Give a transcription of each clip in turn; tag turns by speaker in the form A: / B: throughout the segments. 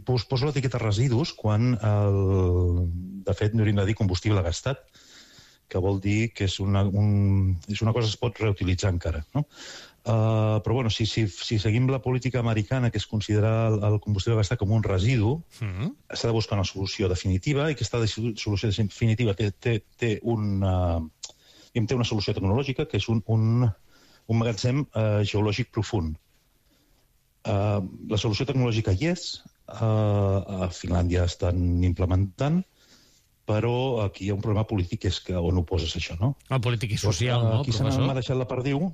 A: poso l'etiqueta residus quan, de fet, no hauríem de dir combustible gastat, que vol dir que és una cosa que es pot reutilitzar encara, no? Però, bueno, si seguim la política americana, que és considerar el combustible gastat com un residu, s'ha de buscar una solució definitiva, i aquesta solució definitiva té una solució tecnològica, que és un magatzem geològic profund. La solució tecnològica hi és, a Finlàndia estan implementant, però aquí hi ha un problema polític, que és que on ho poses, això, no?
B: El polític i social, no,
A: aquí
B: professor?
A: Aquí s'han marejat la perdiu,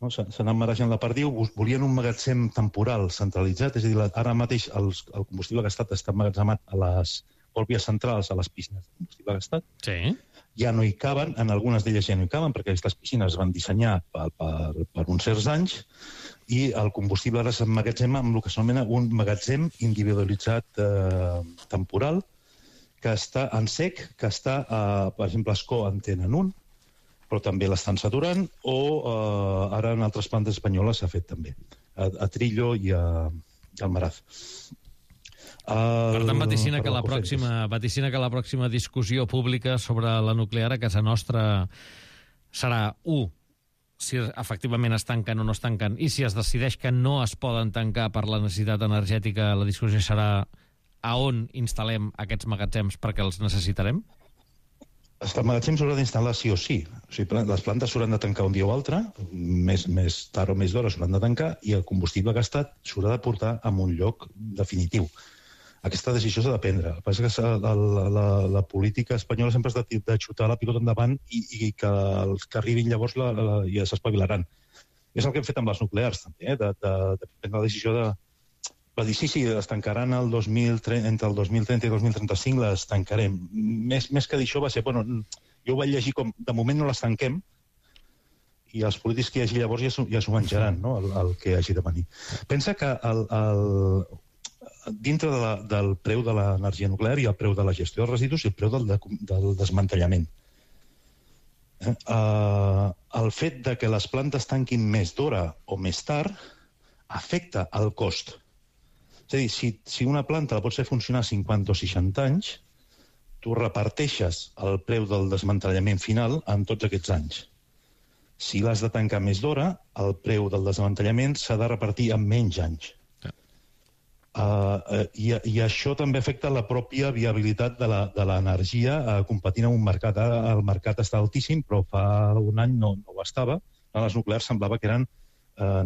A: s'han marejat la perdiu, volien un magatzem temporal centralitzat, és a dir, ara mateix el combustible gastat està emmagatzemat a les pròpies centrals, a les piscines de combustible gastat.
B: Sí.
A: Ja no hi caben, en algunes d'elles ja no hi caben, perquè aquestes piscines es van dissenyar per uns certs anys, i el combustible ara s'emmagatzema amb el que s'anomena un magatzem individualitzat temporal, que està en sec, que està, per exemple, a Escó en tenen un, però també l'estan saturant, o ara en altres plantes espanyoles s'ha fet també, a Trillo i al Maraz.
B: Per tant, vaticina que la pròxima discussió pública sobre la nuclear a casa nostra serà, si efectivament es tanquen o no es tanquen, i si es decideix que no es poden tancar per la necessitat energètica, la discussió serà a on instal·lem aquests magatzems perquè els necessitarem?
A: Els magatzems s'hauran d'instal·lar sí o sí. O sigui, les plantes s'hauran de tancar un dia o altre, més tard o més d'hora s'hauran de tancar, i el combustible gastat s'haurà de portar a un lloc definitiu. Aquesta decisió s'ha de prendre. El que passa és que la política espanyola sempre és de xutar la pilota endavant i que els que arribin llavors ja s'espavilaran. És el que hem fet amb les nuclears, també, de prendre la decisió de... Va dir, sí, es tancaran entre el 2030 i 2035, les tancarem. Més que dir això va ser, bueno, jo ho vaig llegir com, de moment no les tanquem, i els polítics que hi hagi llavors ja s'ho menjaran, no?, el que hagi de venir. Pensa que dintre del preu de l'energia nuclear hi ha el preu de la gestió dels residus i el preu del desmantellament. El fet de que les plantes tanquin més d'hora o més tard afecta el cost. És a dir, si una planta la pots fer funcionar 50 o 60 anys, tu reparteixes el preu del desmantellament final en tots aquests anys. Si l'has de tancar més d'hora, el preu del desmantellament s'ha de repartir en menys anys. I això també afecta la pròpia viabilitat de l'energia competint en un mercat. Ara el mercat està altíssim, però fa un any no ho estava. Les nuclears semblava que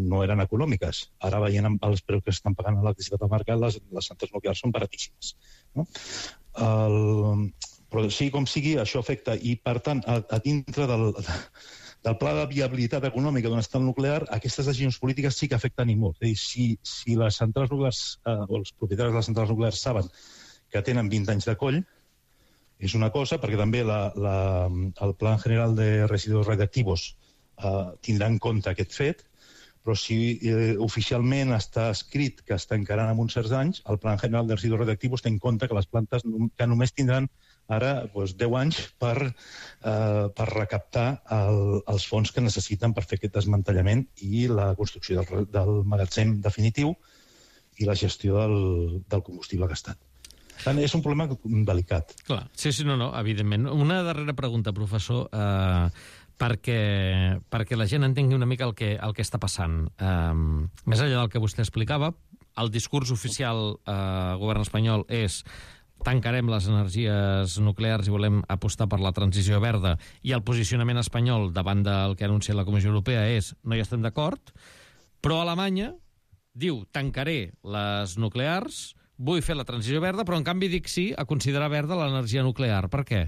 A: no eren econòmiques. Ara veient els preus que estan pagant a l'electricitat al mercat, les centrals nuclears són baratíssimes. Però sigui com sigui, això afecta. I, per tant, a dintre del pla de viabilitat econòmica d'una central nuclear, aquestes decisions polítiques sí que afecten i molt. És a dir, si les centrals nuclears, o els propietaris de les centrals nuclears saben que tenen 20 anys de coll, és una cosa, perquè també el Plan General de Residuos Radiactivos tindrà en compte aquest fet, però si oficialment està escrit que es tancaran en uns certs anys, el Plan General de Residuos Radiactivos té en compte que les plantes que només tindran ara 10 anys per recaptar els fons que necessiten per fer aquest desmantellament i la construcció del magatzem definitiu i la gestió del combustible gastat. Per tant, és un problema delicat.
B: Clar, sí, no, evidentment. Una darrera pregunta, professor, perquè la gent entengui una mica el que està passant. Més enllà del que vostè explicava, el discurs oficial al govern espanyol és tancarem les energies nuclears i volem apostar per la transició verda, i el posicionament espanyol davant del que ha anunciat la Comissió Europea és no hi estem d'acord, però Alemanya diu tancaré les nuclears, vull fer la transició verda, però en canvi dic sí a considerar verda l'energia nuclear. Per què?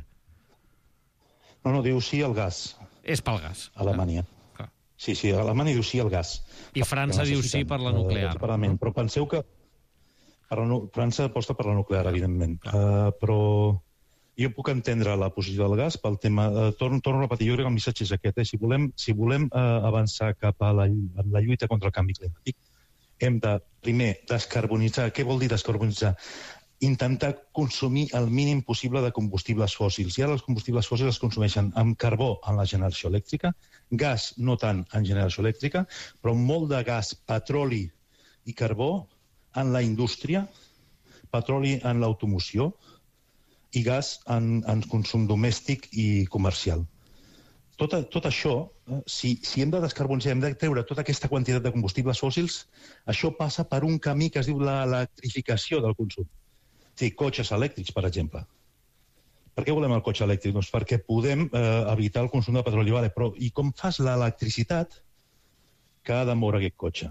A: No, diu sí al gas.
B: És pel gas.
A: Alemanya. Sí, Alemanya diu sí al gas.
B: I França diu sí per la nuclear.
A: Però penseu que França aposta per la nuclear, evidentment. Però jo puc entendre la posició del gas pel tema... Torno a repetir, jo crec que el missatge és aquest. Si volem avançar cap a la lluita contra el canvi climàtic, hem de, primer, descarbonitzar. Què vol dir descarbonitzar? Intentar consumir el mínim possible de combustibles fòssils. I ara els combustibles fòssils es consumeixen amb carbó en la generació elèctrica, gas no tant en generació elèctrica, però molt de gas, petroli i carbó en la indústria, petroli en l'automoció i gas en consum domèstic i comercial. Tot això, si hem de descarbonitzar, hem de treure tota aquesta quantitat de combustibles fòssils, això passa per un camí que es diu l'electrificació del consum. Sí, cotxes elèctrics, per exemple. Per què volem el cotxe elèctric? Doncs perquè podem evitar el consum de petroli. Però i com fas l'electricitat que ha de moure aquest cotxe?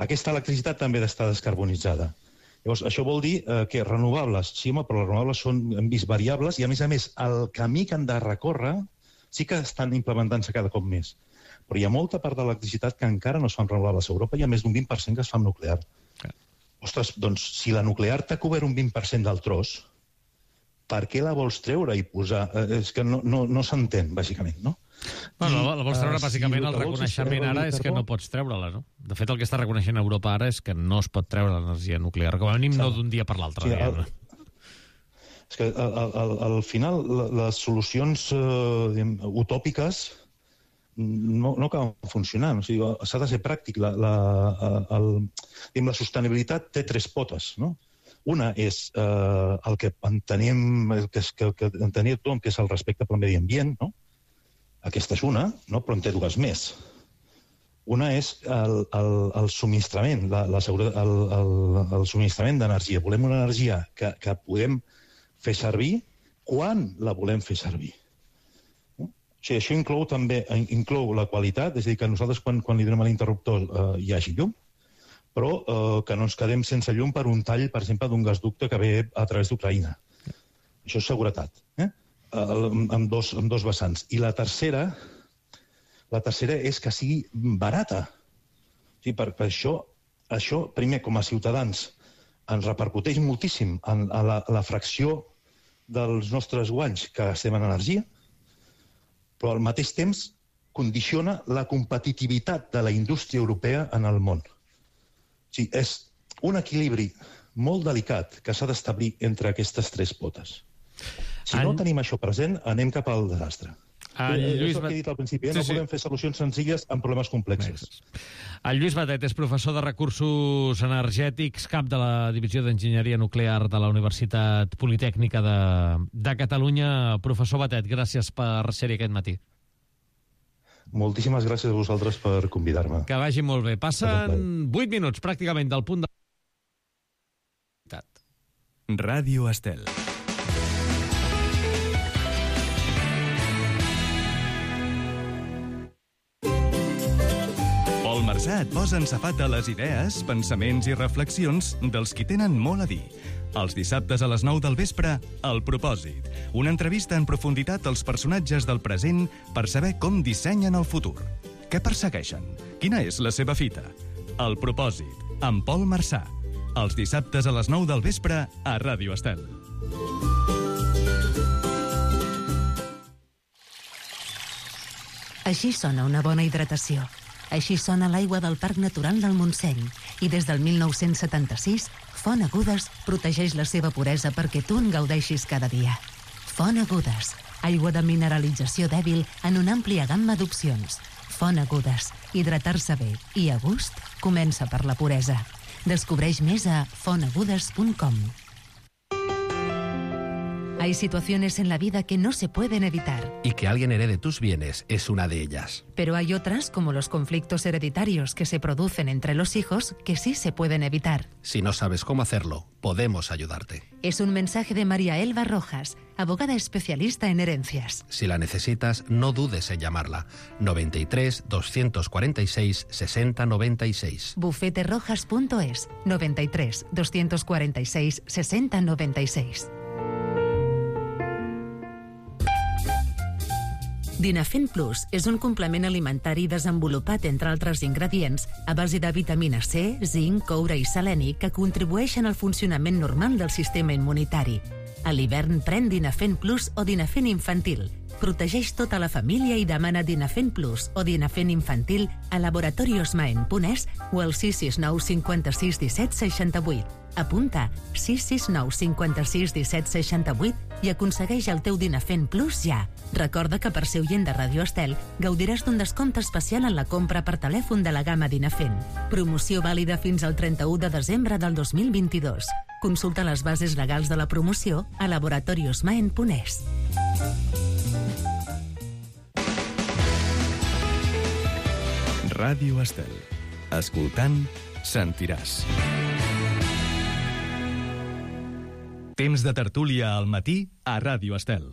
A: Aquesta electricitat també ha d'estar descarbonitzada. Llavors, això vol dir que renovables, sí, home, però les renovables són, hem vist, variables, i a més, el camí que han de recórrer sí que estan implementant-se cada cop més. Però hi ha molta part de l'electricitat que encara no es fan renovables. A Europa hi ha més d'un 20% que es fa amb nuclear. Ostres, doncs, si la nuclear t'ha cobert un 20% del tros, per què la vols treure i posar? És que no s'entén, bàsicament, no?
B: Bueno, la vols treure, bàsicament, el reconeixement ara és que no pots treure-la, no? De fet, el que està reconeixent Europa ara és que no es pot treure l'energia nuclear, com a mínim no d'un dia per l'altre.
A: És que al final les solucions utòpiques no acaben funcionant. O sigui, s'ha de ser pràctic. La sostenibilitat té 3 potes, no? Una és el que entenem tothom, que és el respecte pel medi ambient, no? Aquesta és una, no? Però en té 2 més. Una és el subministrament, el subministrament d'energia. Volem una energia que podem fer servir quan la volem fer servir. O sigui, això inclou la qualitat, és a dir, que nosaltres quan li donem a l'interruptor hi hagi llum, però que no ens quedem sense llum per un tall, per exemple, d'un gasducte que ve a través d'Ucraïna. Això és seguretat, amb dos vessants. I la tercera és que sigui barata. O sigui, per això, primer, com a ciutadans, ens repercuteix moltíssim en la fracció dels nostres guanys que gastem en energia, però al mateix temps condiciona la competitivitat de la indústria europea en el món. O sigui, és un equilibri molt delicat que s'ha d'establir entre aquestes 3 potes. Si no tenim això present, anem cap al desastre. És el que he dit al principi, no podem fer solucions senzilles amb problemes complexos.
B: El Lluís Batet és professor de Recursos Energètics, cap de la Divisió d'Enginyeria Nuclear de la Universitat Politècnica de Catalunya. Professor Batet, gràcies per ser-hi aquest matí.
A: Moltíssimes gràcies a vosaltres per convidar-me.
B: Que vagi molt bé. Passen 8 minuts, pràcticament, del punt de...
C: Ràdio Estel. Pol Marsà et posa en safata les idees, pensaments i reflexions dels qui tenen molt a dir. Els dissabtes a les 9 del vespre, El Propòsit. Una entrevista en profunditat als personatges del present per saber com dissenyen el futur. Què persegueixen? Quina és la seva fita? El Propòsit, amb Pol Marsà. Els dissabtes a les 9 del vespre a Ràdio Estel.
D: Així sona una bona hidratació. Així sona l'aigua del Parc Natural del Montseny. I des del 1976, Font Agudes protegeix la seva puresa perquè tu en gaudeixis cada dia. Font Agudes, aigua de mineralització dèbil en una àmplia gamma d'opcions. Font Agudes, hidratar-se bé i a gust comença per la puresa. Descubreix més a fontagudes.com. Hay situaciones en la vida que no se pueden evitar.
E: Y que alguien herede tus bienes es una de ellas.
D: Pero hay otras, como los conflictos hereditarios que se producen entre los hijos, que sí se pueden evitar.
E: Si no sabes cómo hacerlo, podemos ayudarte.
D: Es un mensaje de María Elba Rojas, abogada especialista en herencias.
E: Si la necesitas, no dudes en llamarla. 93 246 60 96.
D: Bufeterojas.es 93 246 60 96. Dinafen Plus és un complement alimentari desenvolupat, entre altres ingredients, a base de vitamina C, zinc, coure i seleni que contribueixen al funcionament normal del sistema immunitari. A l'hivern pren Dinafen Plus o Dinafen Infantil. Protegeix tota la família i demana Dinafen Plus o Dinafen Infantil a laboratoriosmaen.es o al 669 56 17 68. Apunta 669 56 17 68 i aconsegueix el teu Dinafent Plus ja. Recorda que per ser oient de Radio Estel gaudiràs d'un descompte especial en la compra per telèfon de la gamma Dinafent. Promoció vàlida fins al 31 de desembre del 2022. Consulta les bases legals de la promoció a laboratoriosmaen.es.
C: Ràdio Estel. Escoltant, sentiràs. Temps de tertúlia al matí a Ràdio Estel.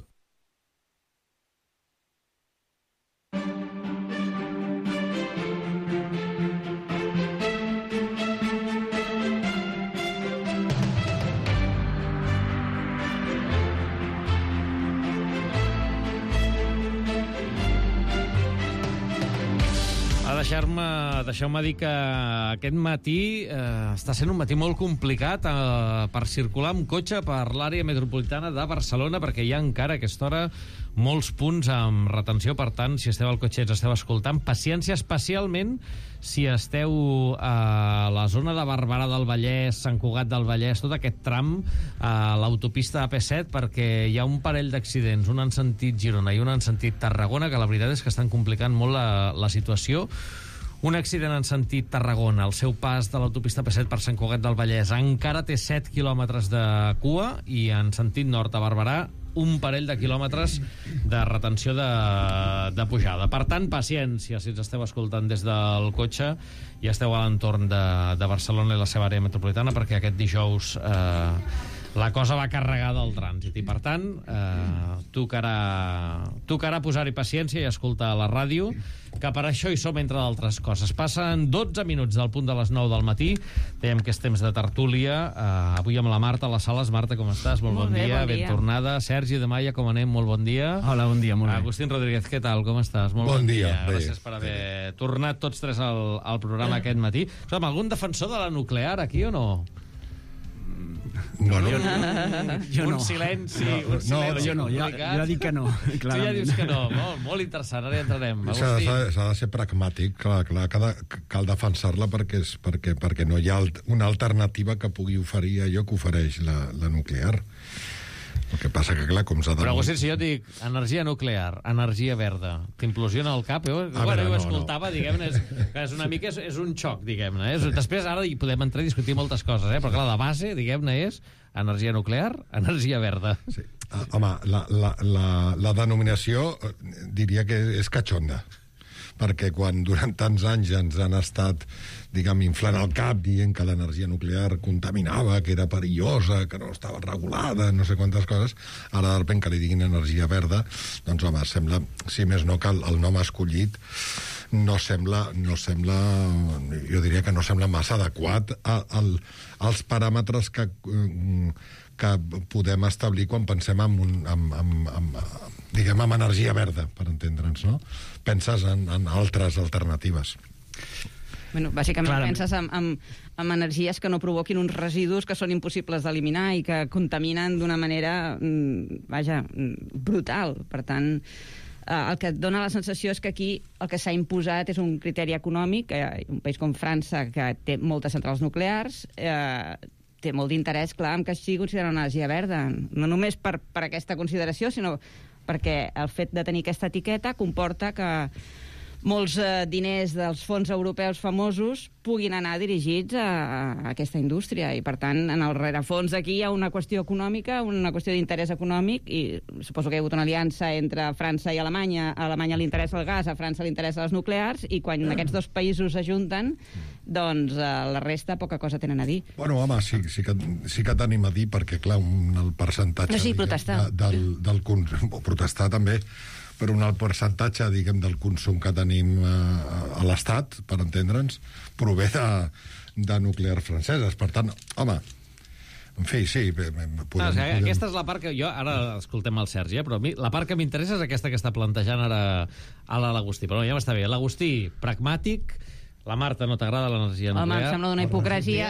B: Deixeu-me dir que aquest matí està sent un matí molt complicat per circular amb cotxe per l'àrea metropolitana de Barcelona, perquè hi ha encara a aquesta hora molts punts amb retenció. Per tant, si esteu al cotxe i ens esteu escoltant, paciència, especialment si esteu a la zona de Barberà del Vallès, Sant Cugat del Vallès, tot aquest tram a l'autopista AP7, perquè hi ha un parell d'accidents, un en sentit Girona i un en sentit Tarragona, que la veritat és que estan complicant molt la situació. Un accident en sentit Tarragona, el seu pas de l'autopista P7 per Sant Cugat del Vallès encara té 7 quilòmetres de cua, i en sentit nord a Barberà un parell de quilòmetres de retenció de pujada. Per tant, paciència si ens esteu escoltant des del cotxe i esteu a l'entorn de Barcelona i la seva àrea metropolitana, perquè aquest dijous la cosa va carregada del trànsit i, per tant, tocarà posar-hi paciència i escoltar la ràdio, que per això hi som, entre d'altres coses. Passen 12 minuts del punt de les 9 del matí. Dèiem que és temps de tertúlia. Avui amb la Marta a les sales. Marta, com estàs? Molt bon dia. Ben tornada. Sergi de Maia, com anem? Molt bon dia.
F: Hola, bon dia, molt bé.
B: Agustín Rodríguez, què tal? Com estàs? Molt bon dia. Gràcies per haver tornat tots tres al programa aquest matí. Algun defensor de la nuclear aquí o no?
F: No.
B: Un silenci.
F: No, jo no, ja dic que no.
B: Tu ja dius que no. Molt interessant, ara hi entrarem.
G: S'ha de ser pragmàtic, clar, cal defensar-la perquè no hi ha una alternativa que pugui oferir allò que ofereix la nuclear. El que passa que, clar, com s'ha de...
B: Però, Agustín, si jo dic energia nuclear, energia verda, t'implosiona el cap? Jo ho escoltava, diguem-ne, és una mica és un xoc, diguem-ne. Després, ara hi podem entrar i discutir moltes coses, però, clar, la base, diguem-ne, és energia nuclear, energia verda.
G: Sí. Home, la denominació diria que és catxonda, perquè quan durant tants anys ens han estat, diguem, inflant el cap dient que l'energia nuclear contaminava, que era perillosa, que no estava regulada, no sé quantes coses, ara de sobte que li diguin energia verda, doncs home, sembla, si més no, que el nom escollit no sembla, jo diria que no sembla massa adequat als paràmetres que podem establir quan pensem diguem, en energia verda, per entendre'ns, no? Penses en altres alternatives.
H: Bueno, bàsicament penses en energies que no provoquin uns residus que són impossibles d'eliminar i que contaminen d'una manera, brutal. Per tant, el que et dona la sensació és que aquí el que s'ha imposat és un criteri econòmic. Un país com França, que té moltes centrals nuclears, té molt d'interès, clar, en que sigui considerada una energia verda. No només per aquesta consideració, sinó perquè el fet de tenir aquesta etiqueta comporta que molts diners dels fons europeus famosos puguin anar dirigits a aquesta indústria, i per tant en el rerefons aquí hi ha una qüestió econòmica, una qüestió d'interès econòmic, i suposo que hi ha hagut una aliança entre França i Alemanya. A Alemanya li interessa el gas, a França li interessa les nuclears, i quan aquests dos països s'ajunten, doncs la resta poca cosa tenen a dir.
G: Bueno, home, sí que tenim a dir, perquè clar, el percentatge
H: protestar.
G: Protestar també, però un alt percentatge, diguem, del consum que tenim a l'Estat, per entendre'ns, prové de nuclears franceses. Per tant, home, en fi, sí, podem...
B: Aquesta és la part que jo... Ara escoltem el Sergi, però a mi la part que m'interessa és aquesta que està plantejant ara l'Agustí. Però ja m'està bé. L'Agustí, pragmàtic, La Marta, no t'agrada l'energia nuclear?
H: Home, em sembla una hipocresia.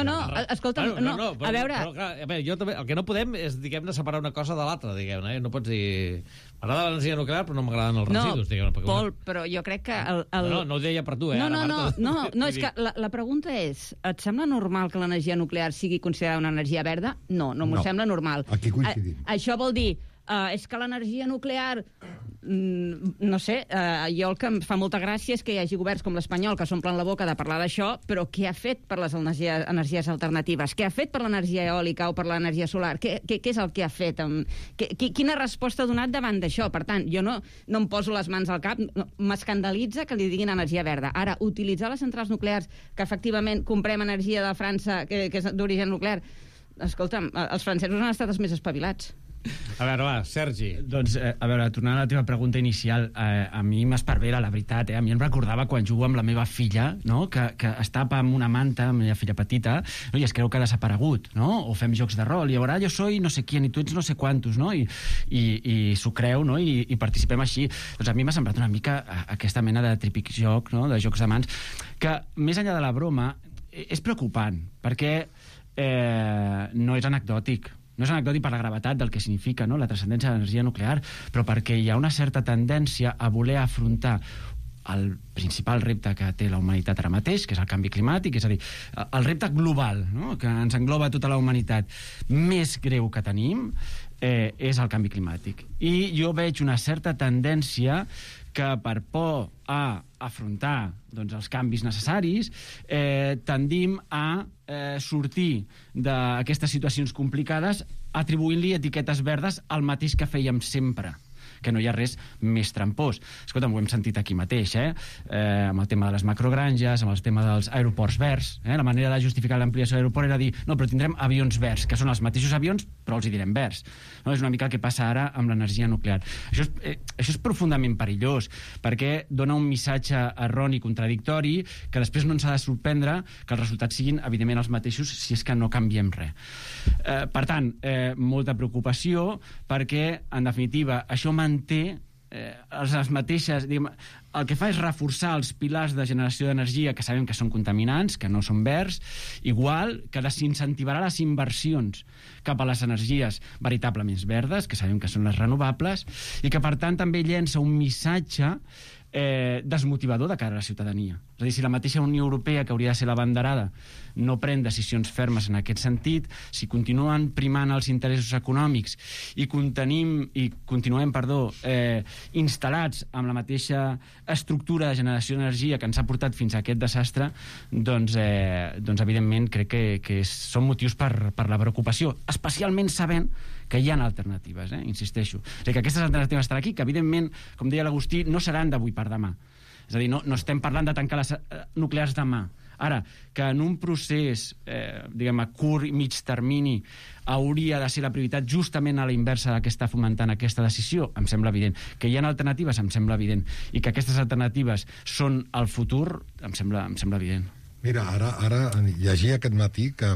H: No, escolta'm, a veure...
B: Però, clar, jo també, el que no podem és, diguem-ne, separar una cosa de l'altra, diguem-ne. No pots dir... M'agrada l'energia nuclear, però no m'agraden els residus, diguem-ne.
H: Pol, però jo crec que...
B: No ho deia per tu,
H: No, és que la pregunta és, et sembla normal que l'energia nuclear sigui considerada una energia verda? No m'ho sembla normal.
G: Aquí coincidim.
H: Això vol dir... és que l'energia nuclear, no sé, jo el que em fa molta gràcia és que hi hagi governs com l'espanyol que s'omplen la boca de parlar d'això, però què ha fet per les energies alternatives? Què ha fet per l'energia eòlica o per l'energia solar? Què és el que ha fet? Quina resposta ha donat davant d'això? Per tant, jo no em poso les mans al cap, m'escandalitza que li diguin energia verda. Ara, utilitzar les centrals nuclears, que efectivament comprem energia de França, que és d'origen nuclear, escolta'm, els francesos han estat els més espavilats.
B: A veure, va, Sergi.
F: Doncs, a veure, tornant a la teva pregunta inicial, a mi m'esparvera, la veritat, A mi em recordava quan jugo amb la meva filla, no?, que es tapa amb una manta, amb la meva filla petita, no?, i es creu que ha desaparegut, no?, o fem jocs de rol, i ara jo soy no sé quién, i tu ets no sé quantos, no?, i s'ho creu, no?, i participem així. Doncs a mi m'ha semblat una mica aquesta mena de típic joc, no?, de jocs de mans, que, més enllà de la broma, és preocupant, perquè no és anecdòtic. No és anecdòtic per la gravetat del que significa, no?, la transcendència de l'energia nuclear, però perquè hi ha una certa tendència a voler afrontar el principal repte que té la humanitat ara mateix, que és el canvi climàtic, és a dir, el repte global, no?, que ens engloba tota la humanitat, més greu que tenim, és el canvi climàtic. I jo veig una certa tendència que per por a afrontar doncs, els canvis necessaris tendim a sortir d'aquestes situacions complicades atribuint-li etiquetes verdes al mateix que fèiem sempre, que no hi ha res més trampós. Escolta, ho hem sentit aquí mateix, amb el tema de les macrogranges, amb el tema dels aeroports verds. La manera de justificar l'ampliació de l'aeroport era dir, no, però tindrem avions verds, que són els mateixos avions, però els hi direm verds. No, és una mica el que passa ara amb l'energia nuclear. Això és profundament perillós, perquè dona un missatge erroni, contradictori, que després no ens ha de sorprendre que els resultats siguin, evidentment, els mateixos si és que no canviem res. Per tant, molta preocupació, perquè, en definitiva, això manté les mateixes... El que fa és reforçar els pilars de generació d'energia que sabem que són contaminants, que no són verds, igual que desincentivarà les inversions cap a les energies veritablement verdes, que sabem que són les renovables, i que, per tant, també llença un missatge desmotivador de cara a la ciutadania. És a dir, si la mateixa Unió Europea, que hauria de ser l'abanderada, no pren decisions fermes en aquest sentit, si continuen primant els interessos econòmics i continuem instal·lats amb la mateixa estructura de generació d'energia que ens ha portat fins a aquest desastre, doncs evidentment crec que són motius per la preocupació, especialment sabent que hi ha alternatives, insisteixo. És a dir, que aquestes alternatives estan aquí, que evidentment, com deia l'Agustí, no seran d'avui per demà. És a dir, no estem parlant de tancar les nuclears demà. Ara, que en un procés, diguem-ne, curt i mig termini, hauria de ser la prioritat justament a la inversa del que està fomentant aquesta decisió, em sembla evident. Que hi ha alternatives, em sembla evident. I que aquestes alternatives són el futur, em sembla evident.
G: Mira, ara llegia aquest matí que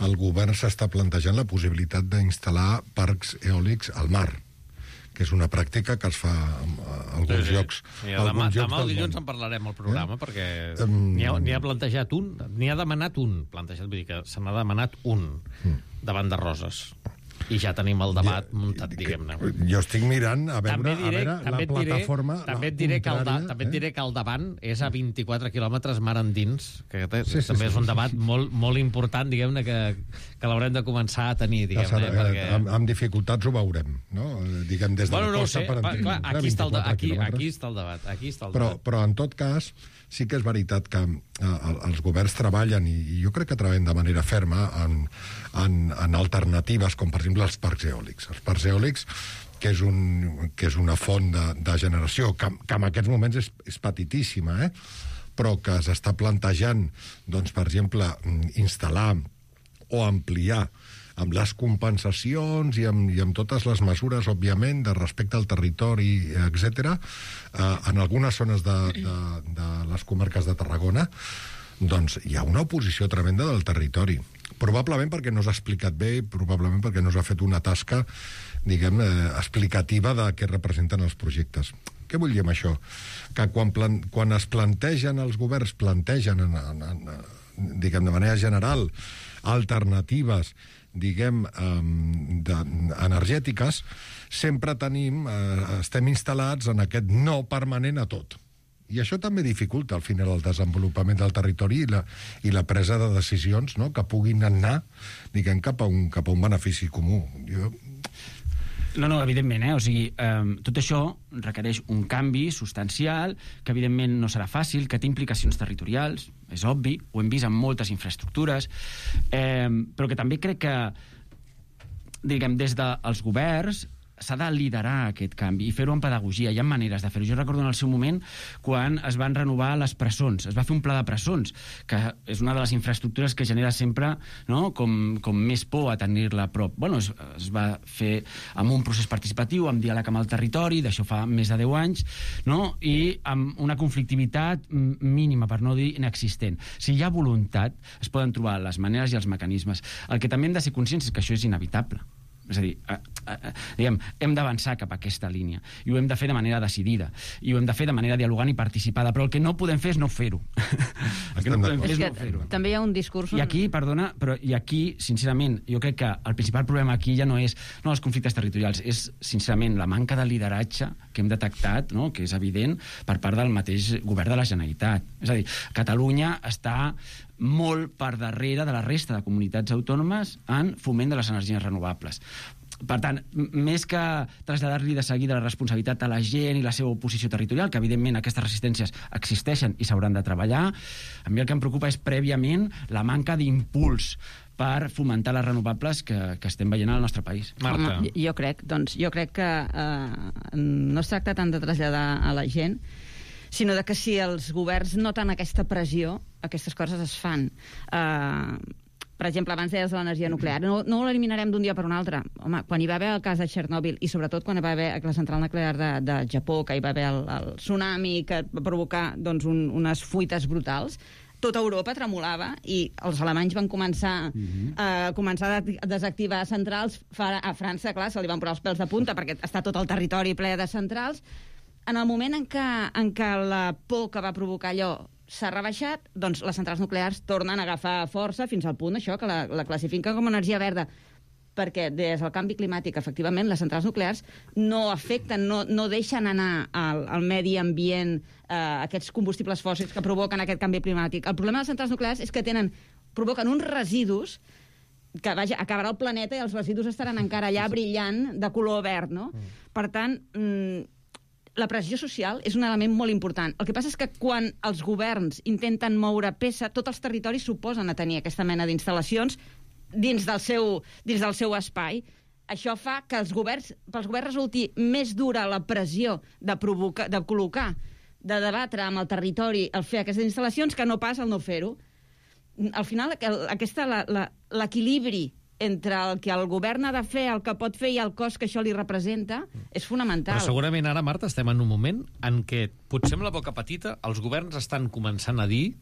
G: el govern s'està plantejant la possibilitat d'instal·lar parcs eòlics al mar, que és una pràctica que es fa a alguns llocs.
B: Demà el dilluns en parlarem al programa, perquè n'hi ha plantejat un, n'hi ha demanat un, vull dir que se n'ha demanat un davant de Roses. I ja tenim el debat muntat, diguem-ne.
G: Jo estic mirant a veure la plataforma...
B: També et diré que el davant és a 24 quilòmetres mar endins, que també és un debat molt important, diguem-ne, que l'haurem de començar a tenir, diguem-ne.
G: Amb dificultats ho veurem, no? Diguem, des de la costa per endins.
B: Aquí està el debat.
G: Però, en tot cas, sí que és veritat que els governs treballen, i jo crec que treballen de manera ferma, en alternatives, com per exemple els parcs eòlics. Els parcs eòlics, que és una font de generació, que en aquests moments és petitíssima, però que s'està plantejant, doncs, per exemple, instal·lar o ampliar amb les compensacions i amb totes les mesures, òbviament, de respecte al territori, etc., en algunes zones de les comarques de Tarragona, doncs hi ha una oposició tremenda del territori. Probablement perquè no s'ha explicat bé, probablement perquè no s'ha fet una tasca, diguem, explicativa de què representen els projectes. Què vull dir amb això? Que quan es plantegen, els governs plantegen, diguem, de manera general, alternatives, diguem, energètiques, sempre estem instal·lats en aquest no permanent a tot. I això també dificulta, al final, el desenvolupament del territori i la presa de decisions, no?, que puguin anar, diguem, cap a un benefici comú.
F: No, evidentment, O sigui, tot això requereix un canvi substancial, que evidentment no serà fàcil, que té implicacions territorials, és obvi, ho hem vist en moltes infraestructures, però que també crec que, diguem, des dels governs s'ha de liderar aquest canvi i fer-ho amb pedagogia. Hi ha maneres de fer-ho. Jo recordo en el seu moment quan es van renovar les presons. Es va fer un pla de presons, que és una de les infraestructures que genera sempre, no?, com més por a tenir-la a prop. Bueno, es va fer amb un procés participatiu, amb diàleg amb el territori, d'això fa més de 10 anys, no?, i amb una conflictivitat mínima, per no dir inexistent. Si hi ha voluntat, es poden trobar les maneres i els mecanismes. El que també hem de ser conscients és que això és inevitable. És a dir, diguem, hem d'avançar cap a aquesta línia i ho hem de fer de manera decidida i ho hem de fer de manera dialogant i participada, però el que no podem fer és no fer-ho.
H: També hi ha un discurs...
F: I aquí, perdona, però i aquí, sincerament, jo crec que el principal problema aquí ja no és els conflictes territorials, és, sincerament, la manca de lideratge que hem detectat, no?, que és evident per part del mateix govern de la Generalitat. És a dir, Catalunya està molt per darrere de la resta de comunitats autònomes en foment de les energies renovables. Per tant, més que traslladar-li de seguida la responsabilitat a la gent i la seva oposició territorial, que evidentment aquestes resistències existeixen i s'hauran de treballar, a mi el que em preocupa és prèviament la manca d'impuls per fomentar les renovables que estem veient al nostre país.
B: Marta.
H: Jo crec que no es tracta tant de traslladar a la gent, sinó de que si els governs noten aquesta pressió, aquestes coses es fan. Per exemple, abans deies de l'energia nuclear. No l'eliminarem d'un dia per un altre. Home, quan hi va haver el cas de Txernòbil i sobretot quan hi va haver la central nuclear de Japó, que hi va haver el tsunami que va provocar unes fuites brutals, tota Europa tremolava i els alemanys van començar a desactivar centrals. A França, clar, se li van posar els pèls de punta perquè està tot el territori ple de centrals. En el moment en què la por que va provocar allò s'ha rebaixat, doncs les centrals nuclears tornen a agafar força fins al punt això que la classifiquen com a energia verda. Perquè des del canvi climàtic, efectivament, les centrals nuclears no afecten, no deixen anar al medi ambient aquests combustibles fòssils que provoquen aquest canvi climàtic. El problema de les centrals nuclears és que provoquen uns residus que, vaja, acabarà el planeta i els residus estaran encara allà brillant de color verd, no? Per tant, la pressió social és un element molt important. El que passa és que quan els governs intenten moure peça, tots els territoris s'oposen a tenir aquesta mena d'instal·lacions dins del seu espai. Això fa que pels governs resulti més dura la pressió de col·locar, de debatre amb el territori el fer aquestes instal·lacions que no pas el no fer-ho. Al final, l'equilibri entre el que el govern ha de fer, el que pot fer i el cost que això li representa, és fonamental.
B: Però segurament ara, Marta, estem en un moment en què, potser amb la boca petita, els governs estan començant a dir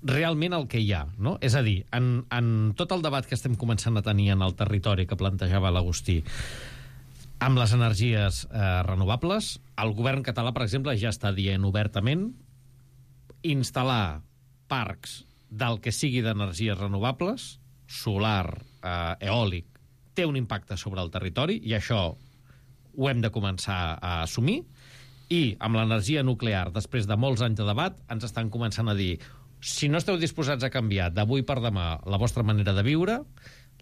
B: realment el que hi ha, no? És a dir, en tot el debat que estem començant a tenir en el territori que plantejava l'Agustí, amb les energies renovables, el govern català, per exemple, ja està dient obertament instal·lar parcs del que sigui d'energies renovables, solar, eòlic, té un impacte sobre el territori i això ho hem de començar a assumir, i amb l'energia nuclear, després de molts anys de debat, ens estan començant a dir si no esteu disposats a canviar d'avui per demà la vostra manera de viure,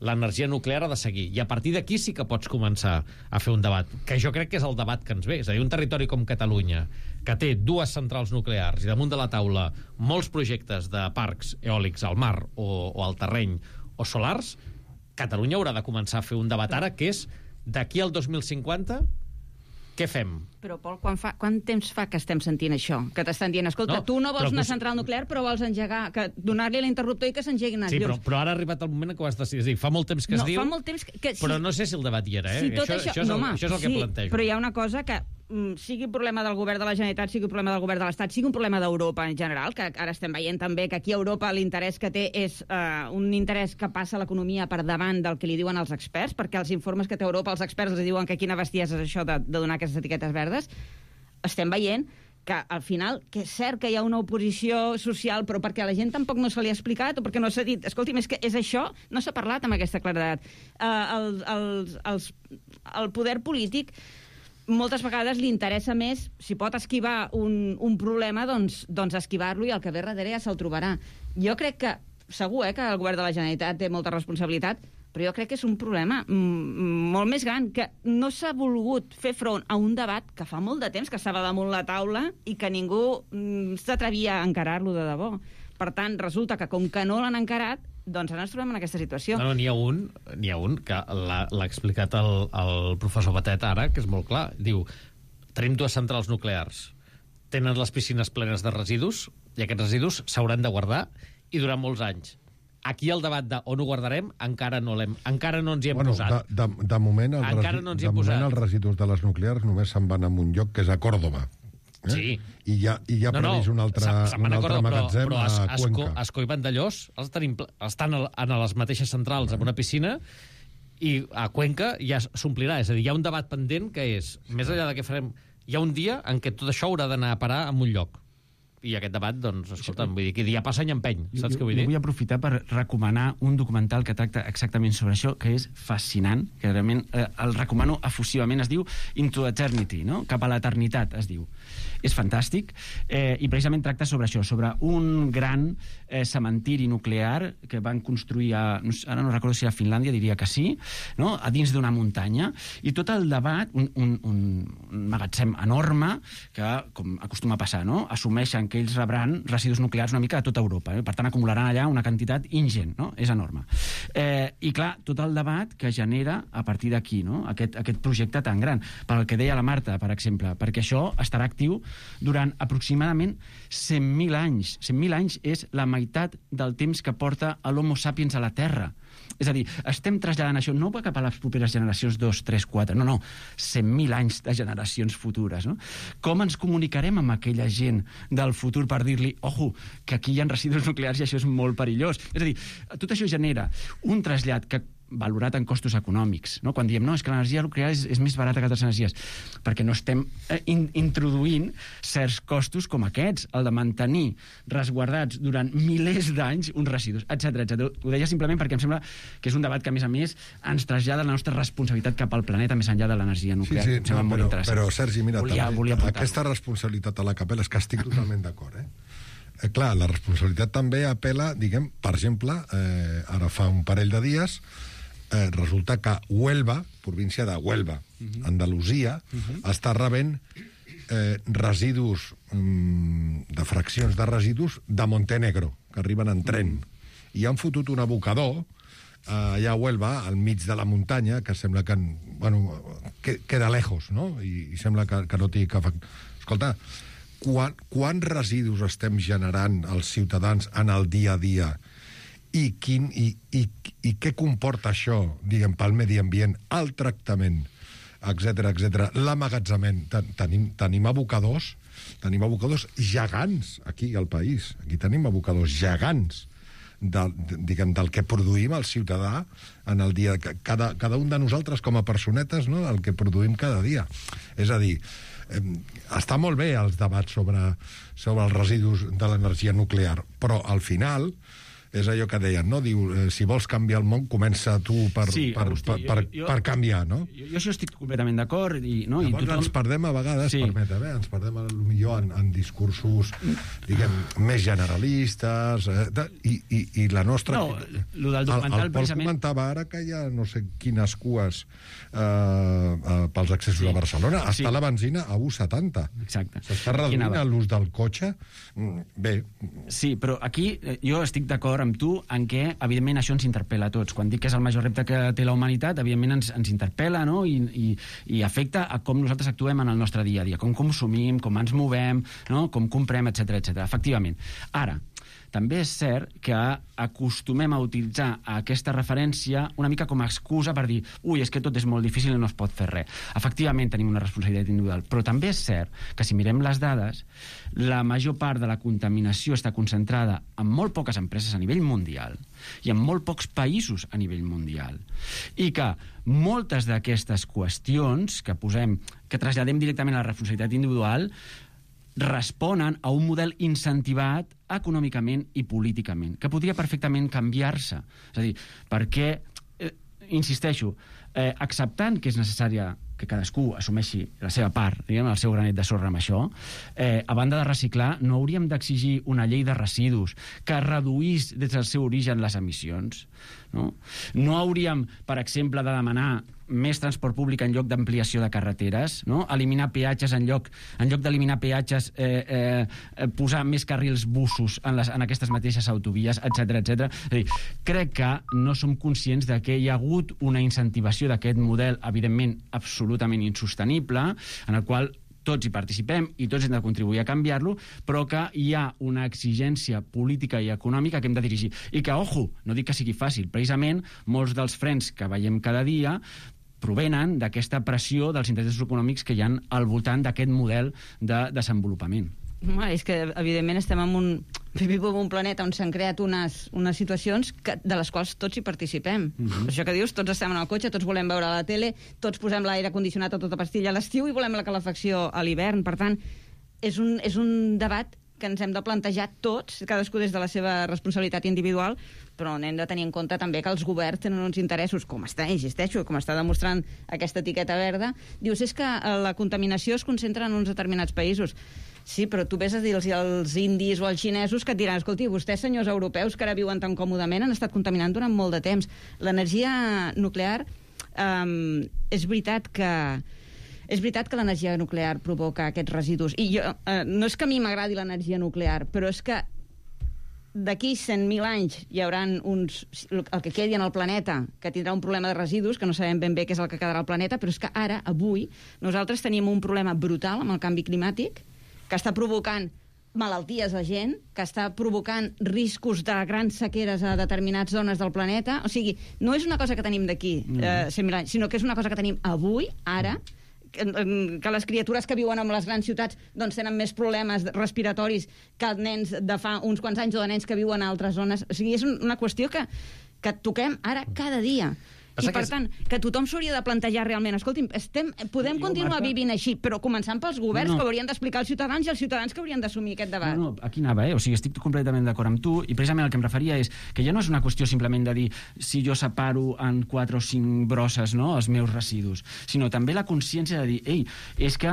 B: l'energia nuclear ha de seguir. I a partir d'aquí sí que pots començar a fer un debat, que jo crec que és el debat que ens ve. És a dir, un territori com Catalunya, que té 2 centrals nuclears i damunt de la taula molts projectes de parcs eòlics al mar o al terreny o solars, Catalunya haurà de començar a fer un debat ara, que és d'aquí al 2050, què fem?
H: Però, Pol, quant temps fa que estem sentint això? Que t'estan dient, escolta, tu no vols una central nuclear, però vols engegar, donar-li l'interruptor i que s'engeguin els llums.
B: Sí, però ara ha arribat el moment que ho has decidit. És a dir, fa molt temps que es diu,
H: fa molt temps que sí,
B: però no sé si el debat hi era, eh? Això és el que plantejo.
H: Però hi ha una cosa que sigui un problema del govern de la Generalitat, sigui un problema del govern de l'Estat, sigui un problema d'Europa en general, que ara estem veient també que aquí a Europa l'interès que té és un interès que passa l'economia per davant del que li diuen els experts, perquè els informes que té Europa, els experts els diuen que quina bestiesa és això de donar aquestes etiquetes verdes. estem veient que al final, que és cert que hi ha una oposició social, però perquè a la gent tampoc no se li ha explicat o perquè no s'ha dit, escolti'm, és que és això, no s'ha parlat amb aquesta claredat. El poder polític moltes vegades li interessa més, si pot esquivar un problema, doncs esquivar-lo, i el que ve darrere ja se'l trobarà. Jo crec que, segur que el govern de la Generalitat té molta responsabilitat, però jo crec que és un problema molt més gran, que no s'ha volgut fer front a un debat que fa molt de temps que estava damunt la taula i que ningú s'atrevia a encarar-lo de debò. Per tant, resulta que com que no l'han encarat, doncs ara ens trobem en aquesta situació.
B: No, n'hi ha un que l'ha explicat el professor Batet ara, que és molt clar. Diu, tenim 2 centrals nuclears, tenen les piscines plenes de residus, i aquests residus s'hauran de guardar, i durant molts anys. Aquí el debat de on ho guardarem encara no ens hi hem posat.
G: De moment, els residus de les nuclears només se'n van a un lloc que és a Còrdova.
B: Sí.
G: I ja previst un altre magatzem a Cuenca.
B: Ascó i Vandellós estan a les mateixes centrals amb una piscina, i a Cuenca ja s'omplirà. És a dir, hi ha un debat pendent que és, més enllà de què farem, hi ha un dia en què tot això haurà d'anar a parar en un lloc. I aquest debat, doncs, escolta'm, vull dir que dia passa any empeny, saps què vull dir?
F: Jo vull aprofitar per recomanar un documental que tracta exactament sobre això, que és fascinant, que realment el recomano efusivament, es diu Into Eternity, no? Cap a l'eternitat, es diu. És fantàstic, i precisament tracta sobre això, sobre un gran cementiri nuclear que van construir ara no recordo si a Finlàndia, diria que sí, no? A dins d'una muntanya, i tot el debat, un magatzem enorme, que, com acostuma a passar, no? Assumeixen que ells rebran residus nuclears una mica de tota Europa. Per tant, acumularan allà una quantitat ingent, no? És enorme. I, clar, tot el debat que genera a partir d'aquí, no? Aquest projecte tan gran. Pel que deia la Marta, per exemple, perquè això estarà actiu durant aproximadament 100.000 anys. 100.000 anys és la meitat del temps que porta l'Homo sapiens a la Terra. És a dir, estem traslladant això no cap a les properes generacions 2, 3, 4, no, 100.000 anys de generacions futures, no? Com ens comunicarem amb aquella gent del futur per dir-li, ojo, que aquí hi ha residus nuclears i això és molt perillós? És a dir, tot això genera un trasllat que valorat en costos econòmics, no? Quan diem, no, és que l'energia nuclear és més barata que altres energies, perquè no estem introduint certs costos com aquests, el de mantenir resguardats durant milers d'anys uns residus, etc. Ho deia simplement perquè em sembla que és un debat que, a més, ens trasllada la nostra responsabilitat cap al planeta més enllà de l'energia nuclear.
G: Sí,
F: em sembla molt interessant.
G: Però, Sergi, mira,
F: volia
G: aquesta responsabilitat a la capella és que estic totalment d'acord, clar, la responsabilitat també apela, diguem, per exemple, ara fa un parell de dies, resulta que Huelva, província de Huelva, Andalusia, està rebent residus, de fraccions de residus de Montenegro, que arriben en tren. I han fotut un abocador allà a Huelva, al mig de la muntanya, que sembla que, queda lejos, no? I sembla que no té cap... Escolta, quants residus estem generant els ciutadans en el dia a dia i què comporta això, diguem, pel medi ambient, el tractament, etc. L'emmagatzament. Tenim abocadors gegants aquí al país. Aquí tenim abocadors gegants del que produïm el ciutadà en el dia. Cada un de nosaltres com a personetes, no?, el que produïm cada dia. És a dir, està molt bé els debats sobre els residus de l'energia nuclear, però al final és allò que deien, no? Diu, si vols canviar el món, comença tu per canviar, no?
F: Jo això estic completament d'acord.
G: Llavors ens perdem a vegades, ens perdem potser en discursos, diguem, més generalistes, i la nostra...
F: No, el del documental, precisament...
G: El comentava ara que hi ha no sé quines cues pels accessos a Barcelona. Està la benzina a 1,70.
F: Exacte.
G: S'està reduint l'ús del cotxe. Bé.
F: Sí, però aquí jo estic d'acord amb tu en què, evidentment, això ens interpel·la a tots. Quan dic que és el major repte que té la humanitat, evidentment ens interpel·la, no? I afecta a com nosaltres actuem en el nostre dia a dia, com consumim, com ens movem, no? Com comprem, etc. Efectivament. Ara, també és cert que acostumem a utilitzar aquesta referència una mica com a excusa per dir és que tot és molt difícil i no es pot fer res. Efectivament tenim una responsabilitat individual, però també és cert que si mirem les dades, la major part de la contaminació està concentrada en molt poques empreses a nivell mundial i en molt pocs països a nivell mundial. I que moltes d'aquestes qüestions que traslladem directament a la responsabilitat individual responen a un model incentivat econòmicament i políticament, que podria perfectament canviar-se. És a dir, perquè, insisteixo, acceptant que és necessària que cadascú assumeixi la seva part, diguem, el seu granet de sorra amb això, a banda de reciclar, no hauríem d'exigir una llei de residus que reduís des del seu origen les emissions. No hauríem, per exemple, de demanar més transport públic en lloc d'ampliació de carreteres, no? Eliminar peatges en lloc d'eliminar peatges, posar més carrils bussos en aquestes mateixes autovies, etc. És a dir, crec que no som conscients de que hi ha hagut una incentivació d'aquest model, evidentment absolutament insostenible, en el qual tots hi participem i tots hem de contribuir a canviar-lo, però que hi ha una exigència política i econòmica que hem de dirigir. I que, ojo, no dic que sigui fàcil, precisament molts dels frens que veiem cada dia provenen d'aquesta pressió dels interessos econòmics que hi ha al voltant d'aquest model de desenvolupament.
H: És que, evidentment, estem en un planeta on s'han creat unes situacions de les quals tots hi participem. Per això que dius, tots estem en el cotxe, tots volem veure la tele, tots posem l'aire condicionat a tota pastilla a l'estiu i volem la calefacció a l'hivern. Per tant, és un debat que ens hem de plantejar tots, cadascú des de la seva responsabilitat individual, però hem de tenir en compte també que els governs tenen uns interessos, com està demostrant aquesta etiqueta verda. Dius, és que la contaminació es concentra en uns determinats països. Sí, però tu vés a dir-los als indis o als xinesos que et diran, escolti, vostès, senyors europeus, que ara viuen tan còmodament, han estat contaminant durant molt de temps. L'energia nuclear, és veritat que l'energia nuclear provoca aquests residus. I no és que a mi m'agradi l'energia nuclear, però és que d'aquí 100.000 anys hi haurà el que quedi en el planeta, que tindrà un problema de residus, que no sabem ben bé què és el que quedarà al planeta, però és que ara, avui, nosaltres tenim un problema brutal amb el canvi climàtic, que està provocant malalties a gent, que està provocant riscos de grans sequeres a determinades zones del planeta. O sigui, no és una cosa que tenim d'aquí 100.000 anys, sinó que és una cosa que tenim avui, ara, que les criatures que viuen en les grans ciutats doncs tenen més problemes respiratoris que nens de fa uns quants anys o de nens que viuen a altres zones. O sigui, és una qüestió que toquem ara cada dia. I, per tant, que tothom s'hauria de plantejar realment, escolti'm, podem continuar vivint així, però començant pels governs que haurien d'explicar als ciutadans i els ciutadans que haurien d'assumir aquest debat.
F: No, aquí anava, O sigui, estic completament d'acord amb tu, i precisament el que em referia és que ja no és una qüestió simplement de dir si jo separo en 4 o 5 brosses, no?, els meus residus, sinó també la consciència de dir, és que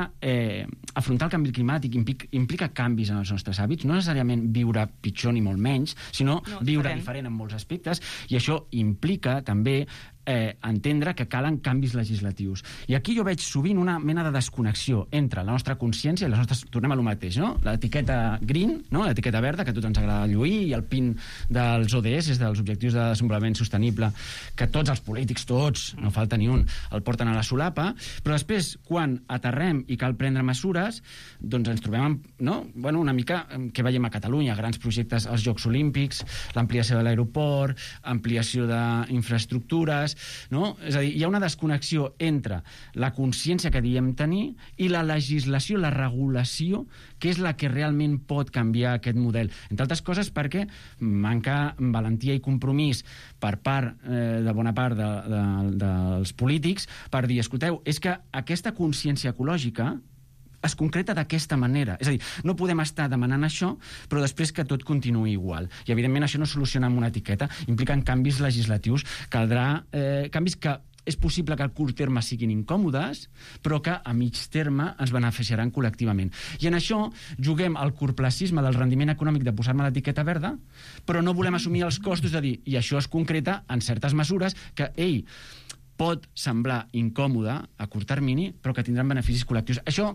F: afrontar el canvi climàtic implica canvis en els nostres hàbits, no necessàriament viure pitjor ni molt menys, sinó viure diferent en molts aspectes, i això implica també entendre que calen canvis legislatius. I aquí jo veig sovint una mena de desconnexió entre la nostra consciència i les nostres... Tornem a lo mateix, no? L'etiqueta green, no? L'etiqueta verda, que a tots ens agrada lluir, i el PIN dels ODS, dels Objectius de Desenvolupament Sostenible, que tots els polítics, tots, no falta ni un, el porten a la solapa, però després, quan aterrem i cal prendre mesures, doncs ens trobem amb, no? Bueno, una mica que veiem a Catalunya, grans projectes als Jocs Olímpics, l'ampliació de l'aeroport, ampliació d'infraestructures, no? És a dir, hi ha una desconnexió entre la consciència que diem tenir i la legislació, la regulació, que és la que realment pot canviar aquest model. Entre altres coses perquè manca valentia i compromís per part de bona part dels polítics per dir, escolteu, és que aquesta consciència ecològica es concreta d'aquesta manera. És a dir, no podem estar demanant això, però després que tot continuï igual. I, evidentment, això no es soluciona amb una etiqueta. Impliquen canvis legislatius. Caldrà canvis que és possible que a curt terme siguin incòmodes, però que a mig terme ens beneficiaran col·lectivament. I en això juguem al corplacisme del rendiment econòmic de posar-me l'etiqueta verda, però no volem assumir els costos de dir, i això es concreta en certes mesures que, pot semblar incòmode a curt termini, però que tindran beneficis col·lectius. Això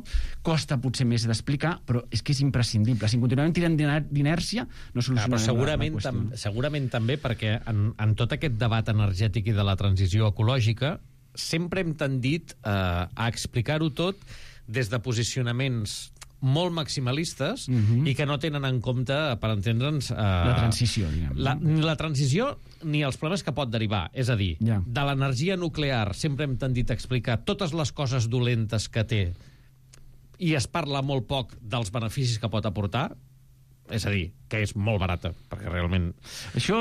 F: costa potser més d'explicar, però és que és imprescindible. Si continuem tirant d'inèrcia, no solucionarem la qüestió.
B: Segurament també perquè en tot aquest debat energètic i de la transició ecològica sempre hem tendit a explicar-ho tot des de posicionaments molt maximalistes i que no tenen en compte, per entendre'ns...
F: La transició, diguem.
B: La transició ni els problemes que pot derivar. És a dir, de l'energia nuclear sempre hem tendit a explicar totes les coses dolentes que té i es parla molt poc dels beneficis que pot aportar. És a dir, que és molt barata, perquè realment...
F: Això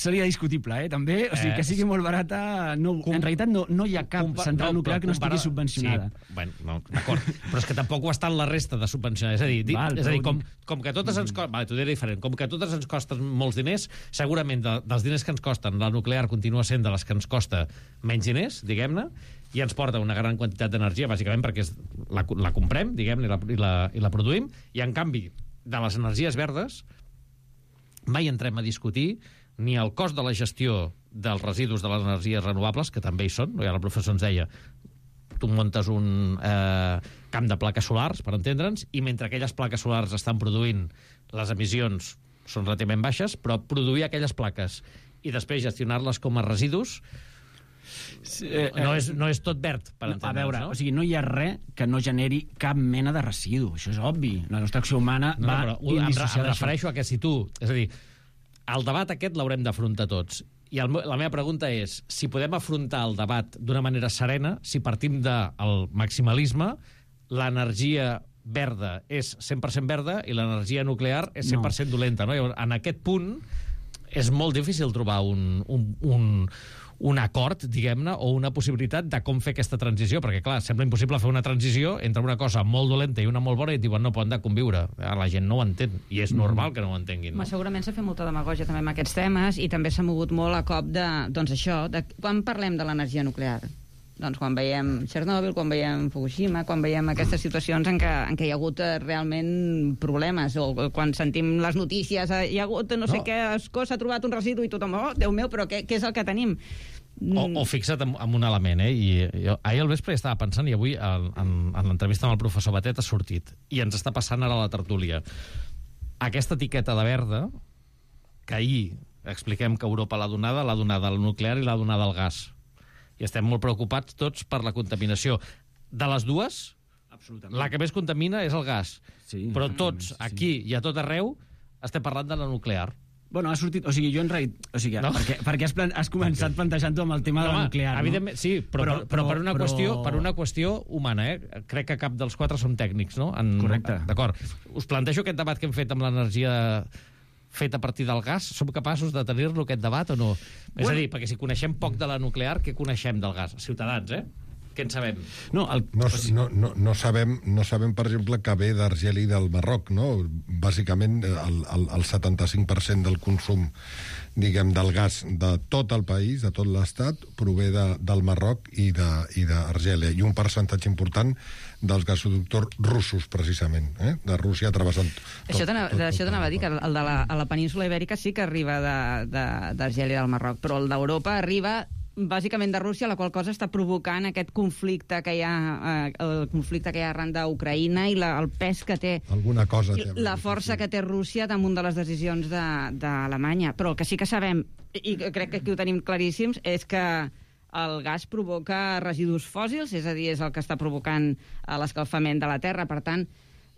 F: seria discutible, també. O sigui, que sigui molt barata... No, en realitat no hi ha cap central nuclear que no estigui subvencionada.
B: Sí, bueno, no, d'acord. Però és que tampoc ho estan la resta de subvencionades. És a dir, com que totes ens costen... Vale, t'ho diré diferent. Com que totes ens costen molts diners, segurament dels diners que ens costen, la nuclear continua sent de les que ens costa menys diners, diguem-ne, i ens porta una gran quantitat d'energia, bàsicament perquè la comprem, diguem-ne, i la produïm, i en canvi de les energies verdes mai entrem a discutir ni el cost de la gestió dels residus de les energies renovables, que també hi són. Ja el professor ens deia, tu muntes un camp de plaques solars, per entendre'ns, i mentre aquelles plaques solars estan produint, les emissions són relativament baixes, però produir aquelles plaques i després gestionar-les com a residus no és tot verd, per entendre'ns.
F: A veure, o sigui, no hi ha res que no generi cap mena de residu. Això és obvi. La nostra acció humana va indissociada.
B: Em refereixo a que si tu... És a dir, el debat aquest l'haurem d'afrontar tots. I la meva pregunta és, si podem afrontar el debat d'una manera serena, si partim del maximalisme, l'energia verda és 100% verda i l'energia nuclear és 100% dolenta. No? En aquest punt és molt difícil trobar un acord, diguem-ne, o una possibilitat de com fer aquesta transició, perquè, clar, sembla impossible fer una transició entre una cosa molt dolenta i una molt bona i et diuen, no, poden de conviure. La gent no ho entén, i és normal que no ho entenguin. No?
H: Segurament s'ha fet molta demagògia també amb aquests temes, i també s'ha mogut molt a cop de, doncs això, quan parlem de l'energia nuclear? Doncs quan veiem Txernòbil, quan veiem Fukushima, quan veiem aquestes situacions en què hi ha hagut realment problemes, o quan sentim les notícies, hi ha hagut no sé què, s'ha trobat un residu i tothom, oh, Déu meu, però què és el que tenim?
B: O fixa't en un element, i jo ahir al vespre estava pensant, i avui en l'entrevista amb el professor Batet ha sortit, i ens està passant ara a la tertúlia. Aquesta etiqueta de verda, que ahir expliquem que Europa l'ha donada al nuclear i l'ha donada al gas. I estem molt preocupats tots per la contaminació. De les dues, la que més contamina és el gas. Sí, però tots, aquí i a tot arreu, estem parlant de la nuclear.
F: Bueno, ha sortit... O sigui, jo en realitat... O sigui, no? perquè has començat plantejant-ho amb el tema de la nuclear,
B: evidentment, no? Sí, però per una qüestió humana, Crec que cap dels quatre som tècnics, no?
F: Correcte.
B: D'acord. Us plantejo aquest debat que hem fet amb l'energia fet a partir del gas, som capaços de tenir-lo, aquest debat, o no? És a dir, perquè si coneixem poc de la nuclear, què coneixem del gas? Ciutadans, Què en sabem?
G: No sabem, per exemple, que ve d'Argeli del Marroc, no? Bàsicament, el 75% del consum, diguem, del gas de tot el país, de tot l'estat, prové del Marroc i d'Argèlia, i un percentatge important dels gasoductors russos, precisament, de Rússia travessant...
H: Això t'anava a dir, que el de la península Ibèrica sí que arriba d'Argèlia i del Marroc, però el d'Europa arriba bàsicament de Rússia, la qual cosa està provocant aquest conflicte que hi ha, el conflicte que hi ha arran d'Ucraïna i el pes que té,
G: alguna cosa té,
H: la força que té Rússia damunt de les decisions d'Alemanya. Però el que sí que sabem, i crec que aquí ho tenim claríssims, és que el gas provoca residus fòssils, és a dir, és el que està provocant l'escalfament de la Terra. Per tant,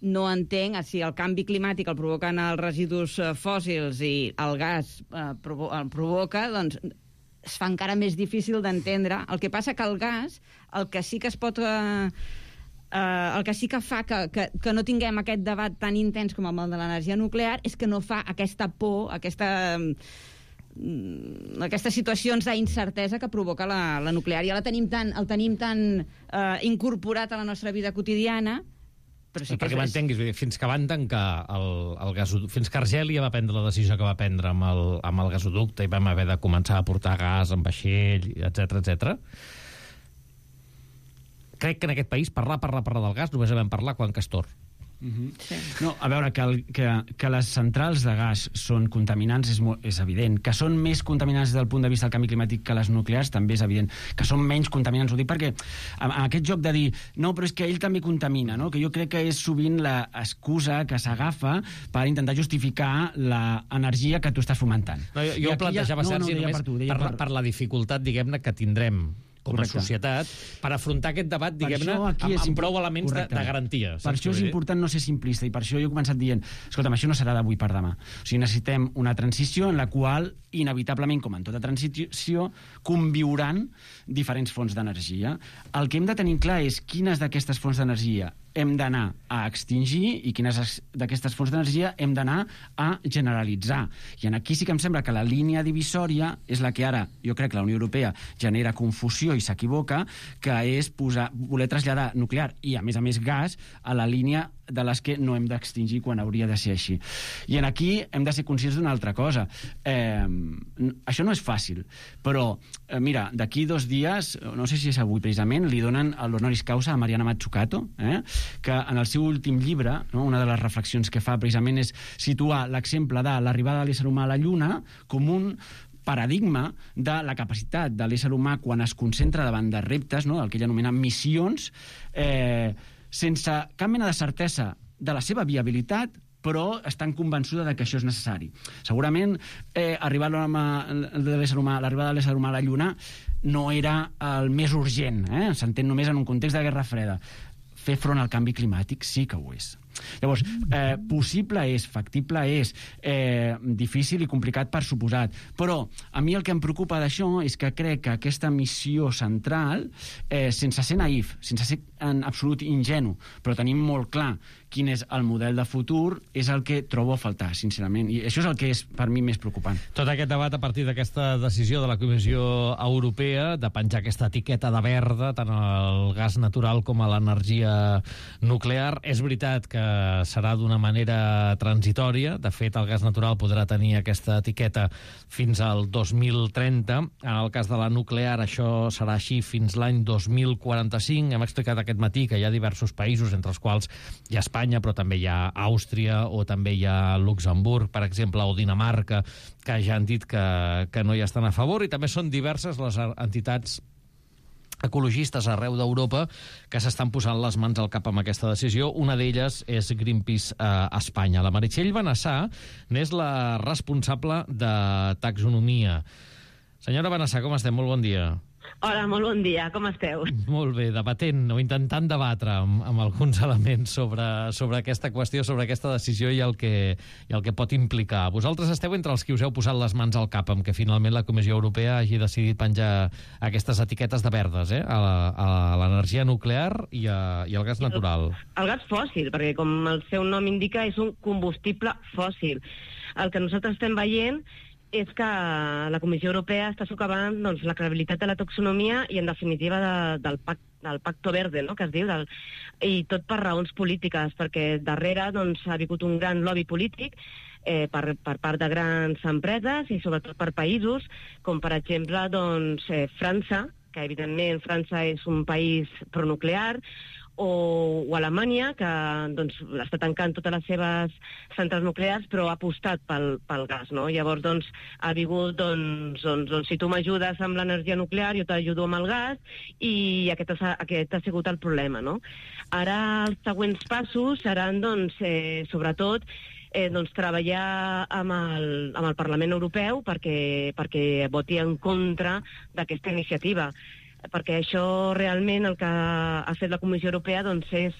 H: no entenc si el canvi climàtic el provoquen els residus fòssils i el gas el provoca, doncs es fa encara més difícil d'entendre. El que passa que el gas, el que sí que es pot... el que sí que fa que no tinguem aquest debat tan intens com el de l'energia nuclear és que no fa aquesta por, aquestes situacions d'incertesa que provoca la nuclear. Ja el tenim tan incorporat a la nostra vida quotidiana. Sí,
B: perquè m'entenguis, fins que van tancar el gasoducte, fins que Argèlia va prendre la decisió que va prendre amb el gasoducte i vam haver de començar a portar gas en vaixell, etc. Crec que en aquest país parlar del gas només vam parlar quan Castor.
F: Sí. No, a veure, que les centrals de gas són contaminants és evident. Que són més contaminants des del punt de vista del canvi climàtic que les nuclears també és evident. Que són menys contaminants, ho dic perquè amb aquest joc de dir, no, però és que ell també contamina, no? Que jo crec que és sovint l'excusa que s'agafa per intentar justificar l'energia que tu estàs fomentant.
B: No, jo ho plantejava, Sergi, només per la dificultat, diguem-ne, que tindrem com a societat, per afrontar aquest debat, diguem-ne, amb prou elements de garantia.
F: Per això és important no ser simplista, i per això jo he començat dient, escolta'm, això no serà d'avui per demà. O sigui, necessitem una transició en la qual, inevitablement, com en tota transició, conviuran diferents fonts d'energia. El que hem de tenir clar és quines d'aquestes fonts d'energia hem d'anar a extingir i quines d'aquestes fonts d'energia hem d'anar a generalitzar. I aquí sí que em sembla que la línia divisòria és la que ara, jo crec que la Unió Europea genera confusió i s'equivoca, que és voler traslladar nuclear i, a més, gas a la línia de les que no hem d'extingir quan hauria de ser així. I aquí hem de ser conscients d'una altra cosa. Això no és fàcil, però, mira, d'aquí 2 dies, no sé si és avui precisament, li donen l'honoris causa a Mariana Mazzucato, que en el seu últim llibre, una de les reflexions que fa precisament és situar l'exemple de l'arribada de l'ésser humà a la Lluna com un paradigma de la capacitat de l'ésser humà quan es concentra davant de reptes, el que ella anomena missions, sense cap mena de certesa de la seva viabilitat, però estan convençuda que això és necessari. Segurament l'arribada de l'ésser humà a la Lluna no era el més urgent, s'entén només en un context de Guerra Freda. Fer front al canvi climàtic sí que ho és. Llavors, possible és, factible és, difícil i complicat per suposat, però a mi el que em preocupa d'això és que crec que aquesta missió central, sense ser naïf, sense ser en absolut ingenu, però tenim molt clar quin és el model de futur, és el que trobo a faltar, sincerament, i això és el que és per mi més preocupant.
B: Tot aquest debat a partir d'aquesta decisió de la Comissió Europea de penjar aquesta etiqueta de verda tant al gas natural com a l'energia nuclear, és veritat que serà d'una manera transitòria. De fet, el gas natural podrà tenir aquesta etiqueta fins al 2030. En el cas de la nuclear, això serà així fins l'any 2045. Hem explicat aquest matí que hi ha diversos països, entre els quals hi ha Espanya, però també hi ha Àustria o també hi ha Luxemburg, per exemple, o Dinamarca, que ja han dit que no hi estan a favor, i també són diverses les entitats ecologistes arreu d'Europa que s'estan posant les mans al cap amb aquesta decisió. Una d'elles és Greenpeace a Espanya. La Meritxell Benassà n'és la responsable de taxonomia. Senyora Benassà, com estem? Molt bon dia.
I: Hola, molt bon dia, com esteu?
B: Molt bé, debatent o intentant debatre amb alguns elements sobre aquesta qüestió, sobre aquesta decisió i el que pot implicar. Vosaltres esteu entre els que us heu posat les mans al cap amb que finalment la Comissió Europea hagi decidit penjar aquestes etiquetes de verdes a l'energia nuclear i al gas natural.
I: El gas fòssil, perquè com el seu nom indica és un combustible fòssil. El que nosaltres estem veient és que la Comissió Europea està socavant la credibilitat de la taxonomia i, en definitiva, del Pacto Verde, que es diu, i tot per raons polítiques, perquè darrere ha vingut un gran lobby polític per part de grans empreses i sobretot per països, com per exemple França, que evidentment França és un país pronuclear, o Alemanya, que està tancant totes les seves centrals nuclears, però ha apostat pel gas, no? Llavors, ha vingut, si tu m'ajudes amb l'energia nuclear, jo t'ajudo amb el gas, i aquest ha sigut el problema, no? Ara els següents passos seran, sobretot, treballar amb el Parlament Europeu perquè voti en contra d'aquesta iniciativa, perquè això realment el que ha fet la Comissió Europea és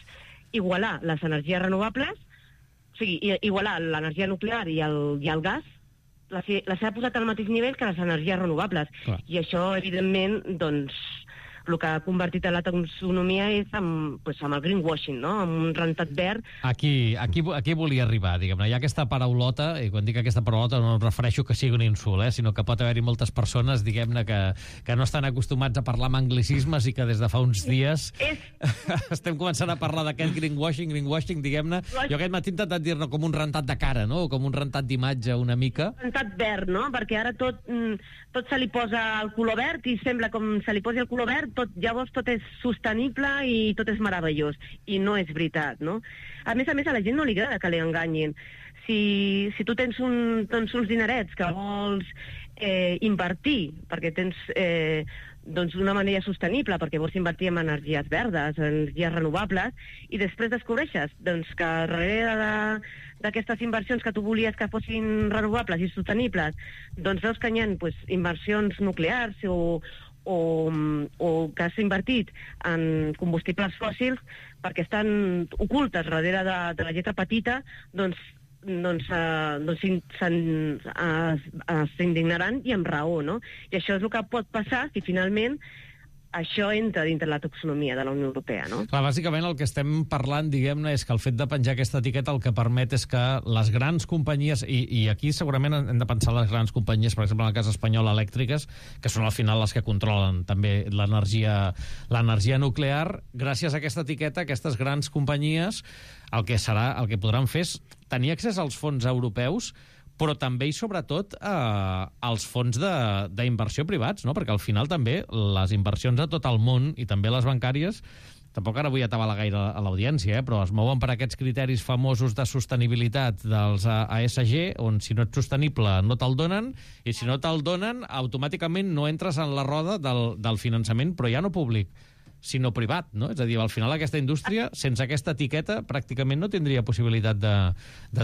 I: igualar les energies renovables, o sigui, igualar l'energia nuclear i el gas, les ha posat al mateix nivell que les energies renovables. Clar. I això, evidentment, el que ha convertit a la taxonomia és amb el greenwashing, no? Amb un rentat verd.
B: Aquí volia arribar, diguem-ne. Hi ha aquesta paraulota, i quan dic aquesta paraulota no em refereixo que sigui un insult, sinó que pot haver-hi moltes persones, diguem-ne, que no estan acostumats a parlar amb anglicismes i que des de fa uns dies estem començant a parlar d'aquest greenwashing, diguem-ne. Jo aquest matí he intentat dir-ne com un rentat de cara, no? O com un rentat d'imatge una mica.
I: Rentat verd, no? Perquè ara tot se li posa el color verd i sembla com se li posi el color verd, llavors tot és sostenible i tot és meravellós. I no és veritat, no? A més, a la gent no li agrada que li enganyin. Si tu tens uns dinerets que vols invertir, perquè tens d'una manera sostenible, perquè vols invertir en energies verdes, energies renovables, i després descobreixes que darrere d'aquestes inversions que tu volies que fossin renovables i sostenibles, veus que hi ha inversions nuclears o o que s'ha invertit en combustibles fòssils perquè estan ocultes darrere de la lletra petita, s'indignaran i amb raó, no? I això és el que pot passar si finalment això entra dintre la taxonomia de la Unió Europea, no?
B: Clar, bàsicament el que estem parlant, diguem-ne, és que el fet de penjar aquesta etiqueta el que permet és que les grans companyies, i aquí segurament hem de pensar les grans companyies, per exemple, en el cas espanyol, elèctriques, que són al final les que controlen també l'energia nuclear, gràcies a aquesta etiqueta, aquestes grans companyies, el que podran fer és tenir accés als fons europeus, però també i sobretot als fons d'inversió privats, no? Perquè al final també les inversions a tot el món, i també les bancàries, tampoc ara vull atabalar gaire a l'audiència, però es mouen per aquests criteris famosos de sostenibilitat dels ESG, on si no ets sostenible no te'l donen, i si no te'l donen, automàticament no entres en la roda del finançament, però ja no públic, sinó privat, no? És a dir, al final aquesta indústria, sense aquesta etiqueta, pràcticament no tindria possibilitat de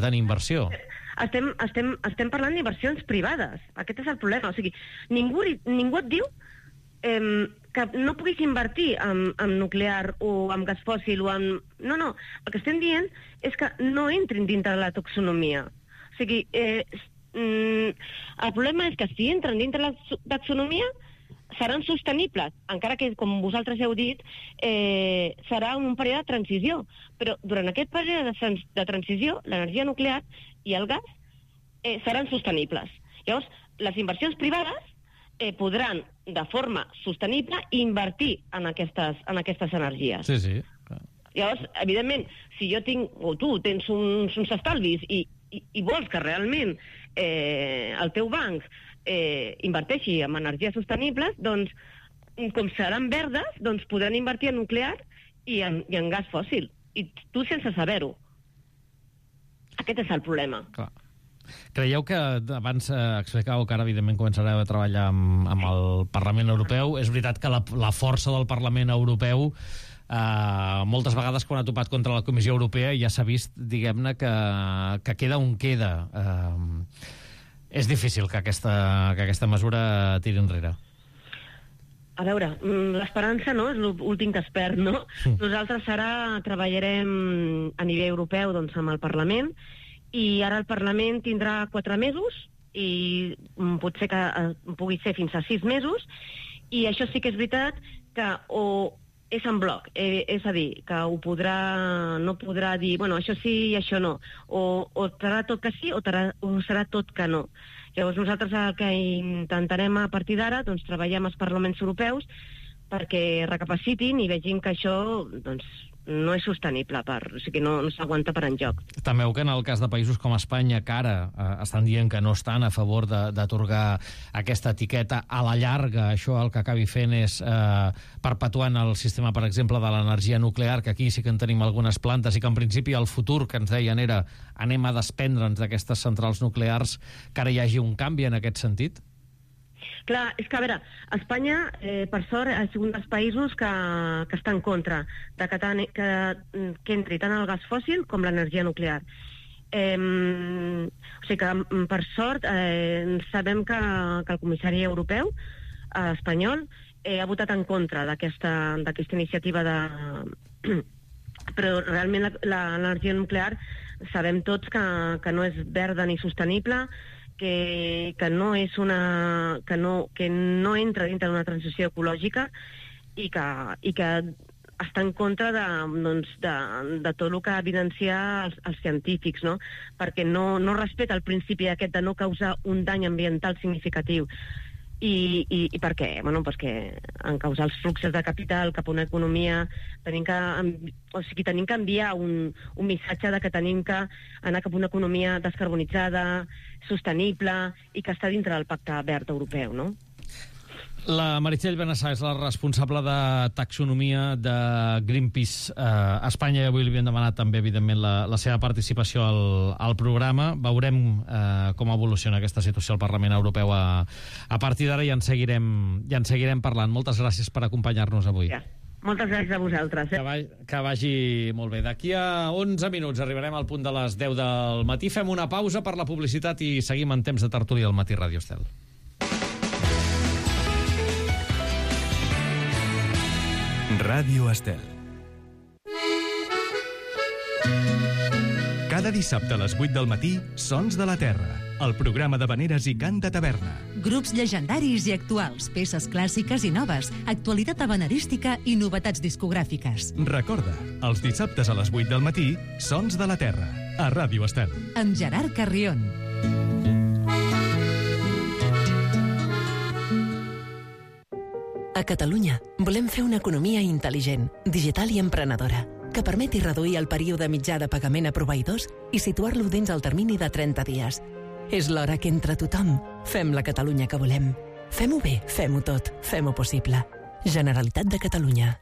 B: tenir inversió.
I: Estem parlant d'inversions privades. Aquest és el problema. O sigui, ningú et diu que no puguis invertir en nuclear o en gas fòssil o en... No. El que estem dient és que no entrin dintre de la taxonomia. O sigui, el problema és que si entren dintre la taxonomia seran sostenibles, encara que, com vosaltres heu dit, serà un període de transició. Però durant aquest període de transició, l'energia nuclear i el gas seran sostenibles. Llavors, les inversions privades podran, de forma sostenible, invertir en aquestes energies.
B: Sí.
I: Llavors, evidentment, si jo tinc, o tu tens uns estalvis i vols que realment el teu banc inverteixi en energies sostenibles, doncs, com seran verdes, doncs podran invertir en nuclear i en gas fòssil. I tu sense saber-ho. Aquest és el problema.
B: Clar. Creieu que abans explicàveu que ara evidentment començareu a treballar amb el Parlament Europeu? És veritat que la força del Parlament Europeu moltes vegades quan ha topat contra la Comissió Europea ja s'ha vist, diguem-ne, que queda on queda. És difícil que aquesta mesura tiri enrere.
I: A veure, l'esperança no és l'últim que es perd, no? Nosaltres ara treballarem a nivell europeu doncs, amb el Parlament, i ara el Parlament tindrà 4 mesos, i potser que pugui ser fins a 6 mesos, i això sí que és veritat que o és en bloc, és a dir, que no podrà dir, bueno, això sí i això no, o serà tot que sí o serà tot que no. Llavors nosaltres el que intentarem a partir d'ara, doncs treballar amb els parlaments europeus perquè recapacitin i vegin que això doncs, no és sostenible, o sigui, no s'aguanta per enlloc.
B: Temeu que en el cas de països com Espanya, que ara estan dient que no estan a favor d'atorgar aquesta etiqueta, a la llarga això el que acabi fent és perpetuant el sistema, per exemple, de l'energia nuclear, que aquí sí que en tenim algunes plantes, i que en principi el futur que ens deien era anem a desprendre'ns d'aquestes centrals nuclears, que ara hi hagi un canvi en aquest sentit?
I: Clar, és que, a veure, Espanya, per sort, ha sigut un dels països que està en contra de que entri tant el gas fòssil com l'energia nuclear. O sigui que, per sort, sabem que el comissari europeu, espanyol, ha votat en contra d'aquesta iniciativa Però realment l'energia nuclear sabem tots que no és verda ni sostenible, que no entra dintre d'una transició ecològica i que està en contra de tot el que evidencia els científics, no? Perquè no respecta el principi aquest de no causar un dany ambiental significatiu. I per què? Bueno, perquè en causar els fluxos de capital cap a una economia tenim que enviar un missatge de que tenim que anar cap a una economia descarbonitzada, sostenible i que està dintre del Pacte Verd Europeu, no?
B: La Meritxell Benassa és la responsable de taxonomia de Greenpeace a Espanya, i avui li havíem demanat també, evidentment, la seva participació al programa. Veurem com evoluciona aquesta situació al Parlament Europeu a partir d'ara, i en seguirem parlant. Moltes gràcies per acompanyar-nos avui.
I: Ja. Moltes gràcies a vosaltres.
B: Que vagi molt bé. D'aquí a 11 minuts arribarem al punt de les 10 del matí. Fem una pausa per la publicitat i seguim en temps de tertúlia al Matí Ràdio Estel.
C: Ràdio Estel. Cada dissabte a les 8 del matí, Sons de la Terra, el programa d'havaneres i cant de taverna.
D: Grups llegendaris i actuals, peces clàssiques i noves, actualitat havanerística i novetats discogràfiques.
C: Recorda, els dissabtes a les 8 del matí, Sons de la Terra, a Ràdio Estel.
D: Amb Gerard Carrion.
J: A Catalunya volem fer una economia intel·ligent, digital i emprenedora, que permeti reduir el període mitjà de pagament a proveïdors i situar-lo dins el termini de 30 dies. És l'hora que entre tothom fem la Catalunya que volem. Fem-ho bé, fem-ho tot, fem-ho possible. Generalitat de Catalunya.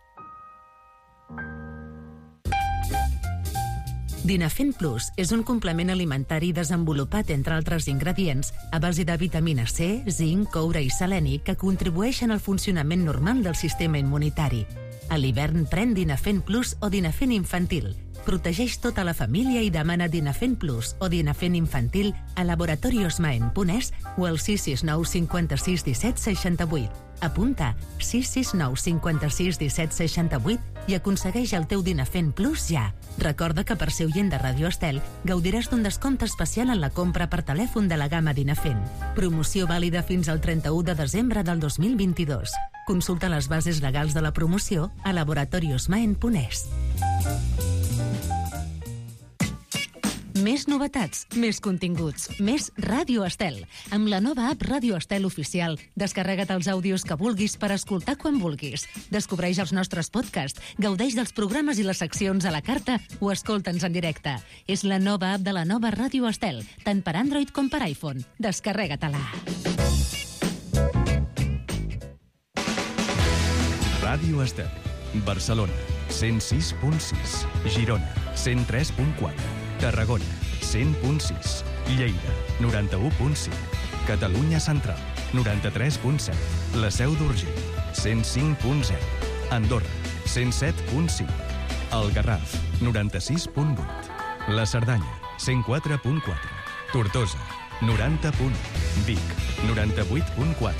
D: Dinafen Plus és un complement alimentari desenvolupat, entre altres ingredients, a base de vitamina C, zinc, coure i seleni que contribueixen al funcionament normal del sistema immunitari. A l'hivern pren Dinafen Plus o Dinafen Infantil. Protegeix tota la família i demana Dinafen Plus o Dinafen Infantil a laboratoriosmaen.es o al 669 56 17 68. Apunta 669 56 17 68 i aconsegueix el teu Dinafen Plus ja. Recorda que per ser oient de Ràdio Estel gaudiràs d'un descompte especial en la compra per telèfon de la gamma Dinafen. Promoció vàlida fins al 31 de desembre del 2022. Consulta les bases legals de la promoció a laboratoriosmaen.es. Més novetats, més continguts, més Ràdio Estel. Amb la nova app Ràdio Estel Oficial, descarrega't els àudios que vulguis per escoltar quan vulguis. Descobreix els nostres podcasts, gaudeix dels programes i les seccions a la carta o escolta'ns en directe. És la nova app de la nova Ràdio Estel, tant per Android com per iPhone. Descarrega-te-la.
C: Ràdio Estel. Barcelona, 106.6. Girona, 103.4. Tarragona, 100.6. Lleida, 91.5. Catalunya Central, 93.7. La Seu d'Urgell, 105.0. Andorra, 107.5. El Garraf, 96.8. La Cerdanya, 104.4. Tortosa, 90.1. Vic, 98.4.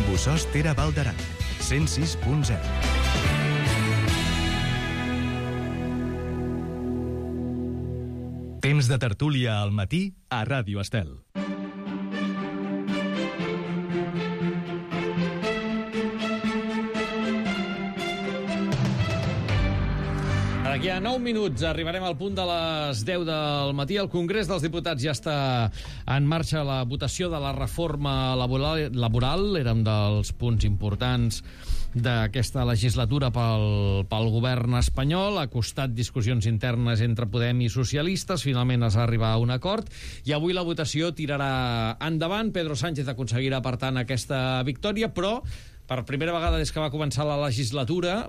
C: Bossòst Tere Val d'Aran, 106.0. Temps de tertúlia al matí a Ràdio Estel.
B: D'aquí a 9 minuts arribarem al punt de les 10 del matí. El Congrés dels Diputats ja està en marxa. La votació de la reforma laboral era un dels punts importants d'aquesta legislatura pel govern espanyol. Ha costat discussions internes entre Podem i socialistes. Finalment es va arribar a un acord i avui la votació tirarà endavant. Pedro Sánchez aconseguirà, per tant, aquesta victòria, però per primera vegada des que va començar la legislatura,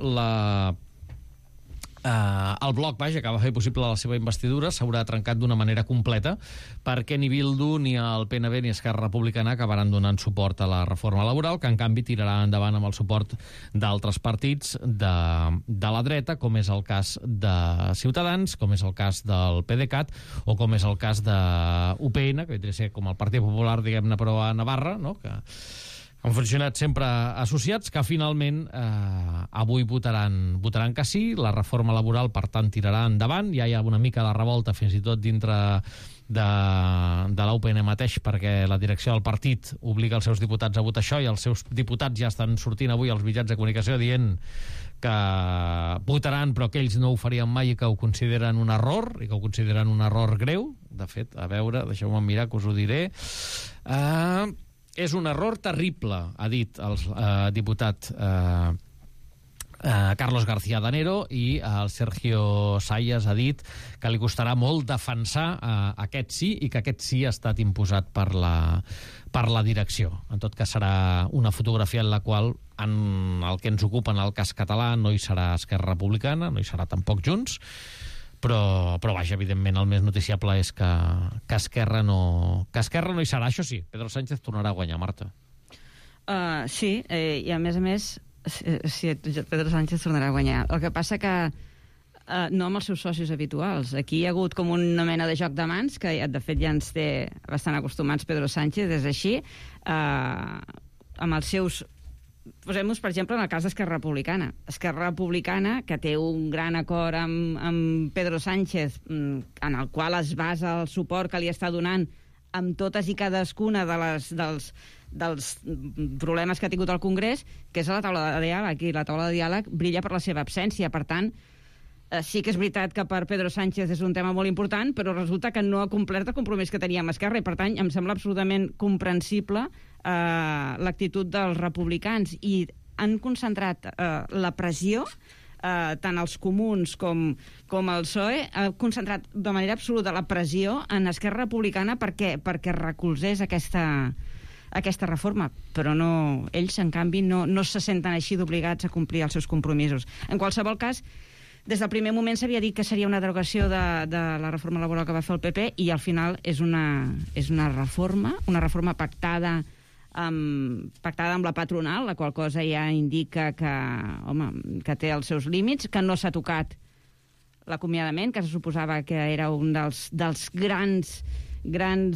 B: el bloc, que va fer possible la seva investidura, s'haurà trencat d'una manera completa, perquè ni Bildu, ni el PNB, ni Esquerra Republicana acabaran donant suport a la reforma laboral, que en canvi tirarà endavant amb el suport d'altres partits de la dreta, com és el cas de Ciutadans, com és el cas del PDeCAT, o com és el cas de UPN, que vindria a ser com el Partit Popular, diguem-ne, però a Navarra, no?, que han funcionat sempre associats, que finalment avui votaran que sí. La reforma laboral, per tant, tirarà endavant. Ja hi ha una mica de revolta, fins i tot dintre de la UPN mateix, perquè la direcció del partit obliga els seus diputats a votar això, i els seus diputats ja estan sortint avui als mitjans de comunicació dient que votaran, però que ells no ho farien mai i que ho consideren un error, i que ho consideren un error greu. De fet, a veure, deixeu-me mirar, que us ho diré. És un error terrible, ha dit el diputat Carlos García Danero, i el Sergio Sayas ha dit que li costarà molt defensar aquest sí, i que aquest sí ha estat imposat per la direcció. En tot cas, serà una fotografia en la qual, en el que ens ocupa en el cas català, no hi serà Esquerra Republicana, no hi serà tampoc Junts, però vaja, evidentment, el més noticiable és que Esquerra no hi serà. Això sí, Pedro Sánchez tornarà a guanyar, Marta.
H: Sí, i a més, sí, Pedro Sánchez tornarà a guanyar. El que passa que no amb els seus socis habituals. Aquí hi ha hagut com una mena de joc de mans, que de fet ja ens té bastant acostumats Pedro Sánchez, és així, amb els seus posem-nos, per exemple, en el cas d'Esquerra Republicana. Esquerra Republicana, que té un gran acord amb Pedro Sánchez, en el qual es basa el suport que li està donant amb totes i cadascuna dels problemes que ha tingut el Congrés, que és a la taula de diàleg, i la taula de diàleg brilla per la seva absència. Per tant, sí que és veritat que per Pedro Sánchez és un tema molt important, però resulta que no ha complert el compromís que tenia amb Esquerra, i per tant em sembla absolutament comprensible l'actitud dels republicans, i han concentrat la pressió, tant els comuns com el PSOE, ha concentrat de manera absoluta la pressió en Esquerra Republicana perquè recolzés aquesta reforma, però no, ells, en canvi, no se senten així d'obligats a complir els seus compromisos. En qualsevol cas, des del primer moment s'havia dit que seria una derogació de la reforma laboral que va fer el PP, i al final és una reforma pactada amb la patronal, la qual cosa ja indica que té els seus límits, que no s'ha tocat l'acomiadament, que se suposava que era un dels grans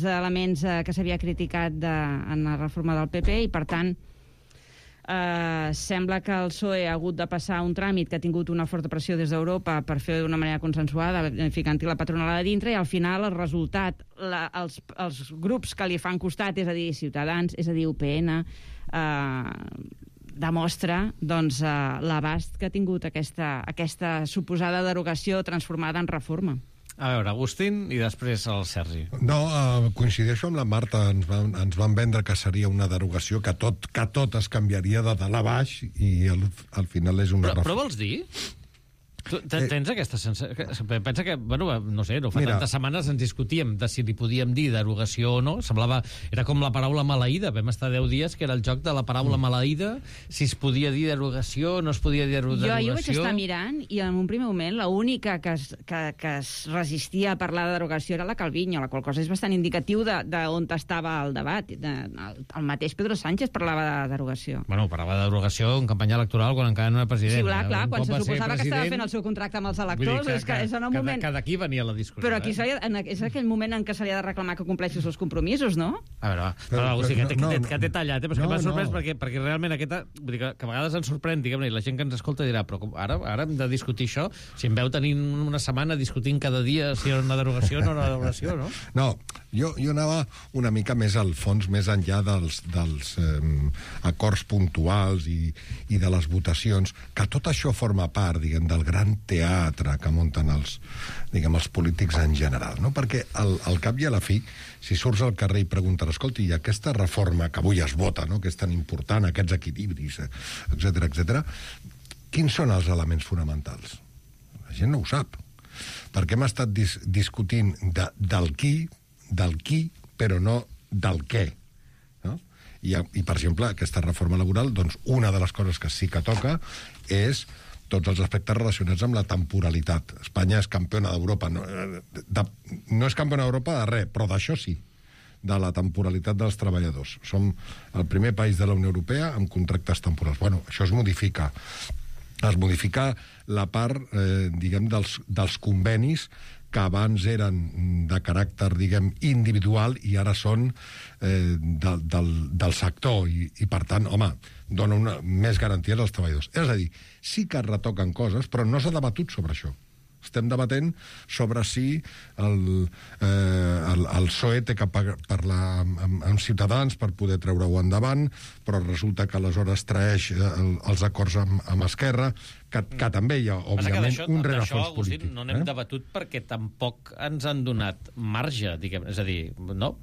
H: elements que s'havia criticat en la reforma del PP, i per tant sembla que el PSOE ha hagut de passar un tràmit que ha tingut una forta pressió des d'Europa per fer d'una manera consensuada, ficant-hi la patronal a dintre, i al final el resultat, els grups que li fan costat, és a dir, Ciutadans, és a dir, UPN, demostra l'abast que ha tingut aquesta suposada derogació transformada en reforma.
B: A veure, Agustín i després el Sergi.
G: No, coincideixo amb la Marta. Ens van vendre que seria una derogació, que tot es canviaria de dalt a baix, i al final és una
B: reforma. Però vols dir? Tu tens aquesta sensació? Pensa que, bueno, no sé, no fa tantes setmanes ens discutíem de si li podíem dir derogació o no. Semblava, era com la paraula maleïda. Vam estar 10 dies que era el joc de la paraula maleïda, si es podia dir derogació o no es podia dir derogació.
H: Jo vaig estar mirant, i en un primer moment l'única que es resistia a parlar de derogació era la Calviño, la qual cosa és bastant indicatiu d'on estava el debat. El mateix Pedro Sánchez parlava de derogació.
B: Bueno, parlava de derogació en campanya electoral quan encara no era president.
H: Sí, clar, quan se suposava que estava fent el seu contracte amb els electors, és en el moment...
B: Que d'aquí venia la discussió.
H: Però aquí és aquell moment en què se li ha de reclamar que compleixi els seus compromisos, no?
B: A veure, que t'he tallat, però és que m'ha sorprès perquè realment aquesta... Vull dir que a vegades ens sorprèn, diguem-ne, i la gent que ens escolta dirà, però ara hem de discutir això? Si em veu tenint una setmana discutint cada dia si era una derogació o no era una derogació, no?
G: No, jo anava una mica més al fons, més enllà dels acords puntuals i de les votacions, que tot això forma part, diguem, del gran teatre que munten els polítics en general, no? Perquè al cap i a la fi, si surts al carrer i preguntes, escolta, i aquesta reforma que avui es vota, no?, que és tan important, aquests equilibris, etc., quins són els elements fonamentals? La gent no ho sap. Perquè hem estat discutint del qui, però no del què. No? I, per exemple, aquesta reforma laboral, doncs, una de les coses que sí que toca és tots els aspectes relacionats amb la temporalitat. Espanya és campiona d'Europa. No és campiona d'Europa de res, però d'això sí, de la temporalitat dels treballadors. Som el primer país de la Unió Europea amb contractes temporals. Bueno, això es modifica. Es modifica la part, diguem, dels convenis que abans eren de caràcter, diguem, individual i ara són del sector i per tant, home, dona més garanties als treballadors. És a dir, sí que es retoquen coses, però no s'ha debatut sobre això. Estem debatent sobre si el PSOE té que parlar amb Ciutadans per poder treure-ho endavant, però resulta que aleshores traeix els acords amb Esquerra, que també hi ha, òbviament, un rerefons polític.
B: No n'hem debatut perquè tampoc ens han donat marge, diguem, és a dir, no?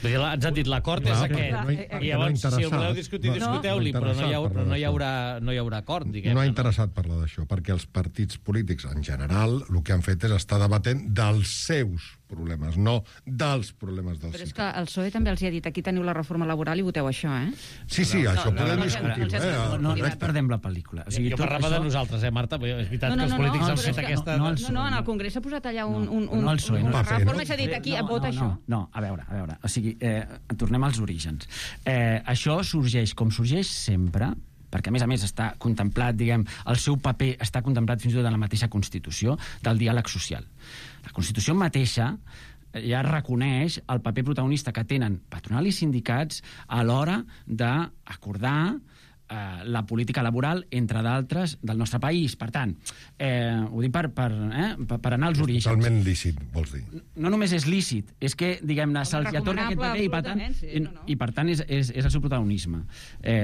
B: Ens han dit l'acord és aquest, i llavors, si el voleu discutir, discuteu-li, però no hi haurà acord, diguem.
G: No ha interessat parlar d'això, perquè els partits polítics, en general, el que han fet és estar debatent dels seus problemes, no dels problemes dels ciutadans.
H: Però és que el PSOE també els ha dit, aquí teniu la reforma laboral i voteu això, eh?
G: Sí, això podem discutir-ho.
F: No perdem la pel·lícula.
B: Jo parlava de nosaltres, Marta? És veritat que els polítics han fet aquesta...
H: No, en el Congrés s'ha posat allà una
F: reforma
H: i s'ha dit aquí, vota això.
F: No, a veure. O sigui, tornem als orígens. Això sorgeix com sorgeix sempre, perquè a més està contemplat, diguem, el seu paper està contemplat fins i tot en la mateixa Constitució del diàleg social. La Constitució mateixa ja reconeix el paper protagonista que tenen patronal i sindicats a l'hora d'acordar la política laboral, entre d'altres, del nostre país. Per tant, ho dic per anar als orígens.
G: Totalment lícit, vols dir?
F: No només és lícit, és que, diguem-ne, se'ls atorga aquest paper i, per tant, és el seu protagonisme.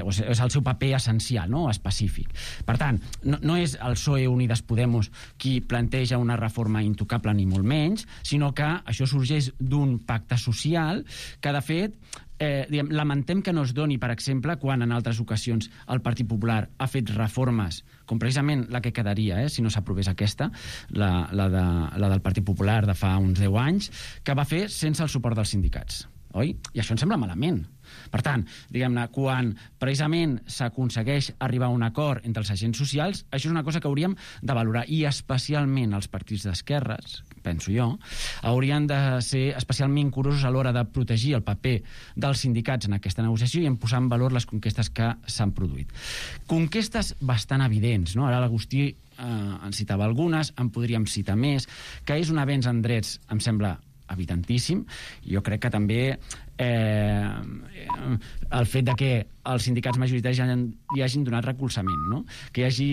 F: O sigui, és el seu paper essencial, no?, específic. Per tant, no és el PSOE Unides Podemos qui planteja una reforma intocable ni molt menys, sinó que això sorgeix d'un pacte social que, de fet, lamentem que no es doni, per exemple, quan en altres ocasions el Partit Popular ha fet reformes, com precisament la que quedaria, si no s'aprovés aquesta, la del Partit Popular de fa uns 10 anys, que va fer sense el suport dels sindicats. Oi? I això em sembla malament. Per tant, diguem-ne, quan precisament s'aconsegueix arribar a un acord entre els agents socials, això és una cosa que hauríem de valorar, i especialment els partits d'esquerres, penso jo, haurien de ser especialment curosos a l'hora de protegir el paper dels sindicats en aquesta negociació i en posar en valor les conquestes que s'han produït. Conquestes bastant evidents, no? Ara l'Agustí en citava algunes, en podríem citar més, que és un avenç en drets, em sembla evidentíssim. Jo crec que també el fet de que els sindicats majoritaris hi hagin donat recolzament, no? Que hi hagi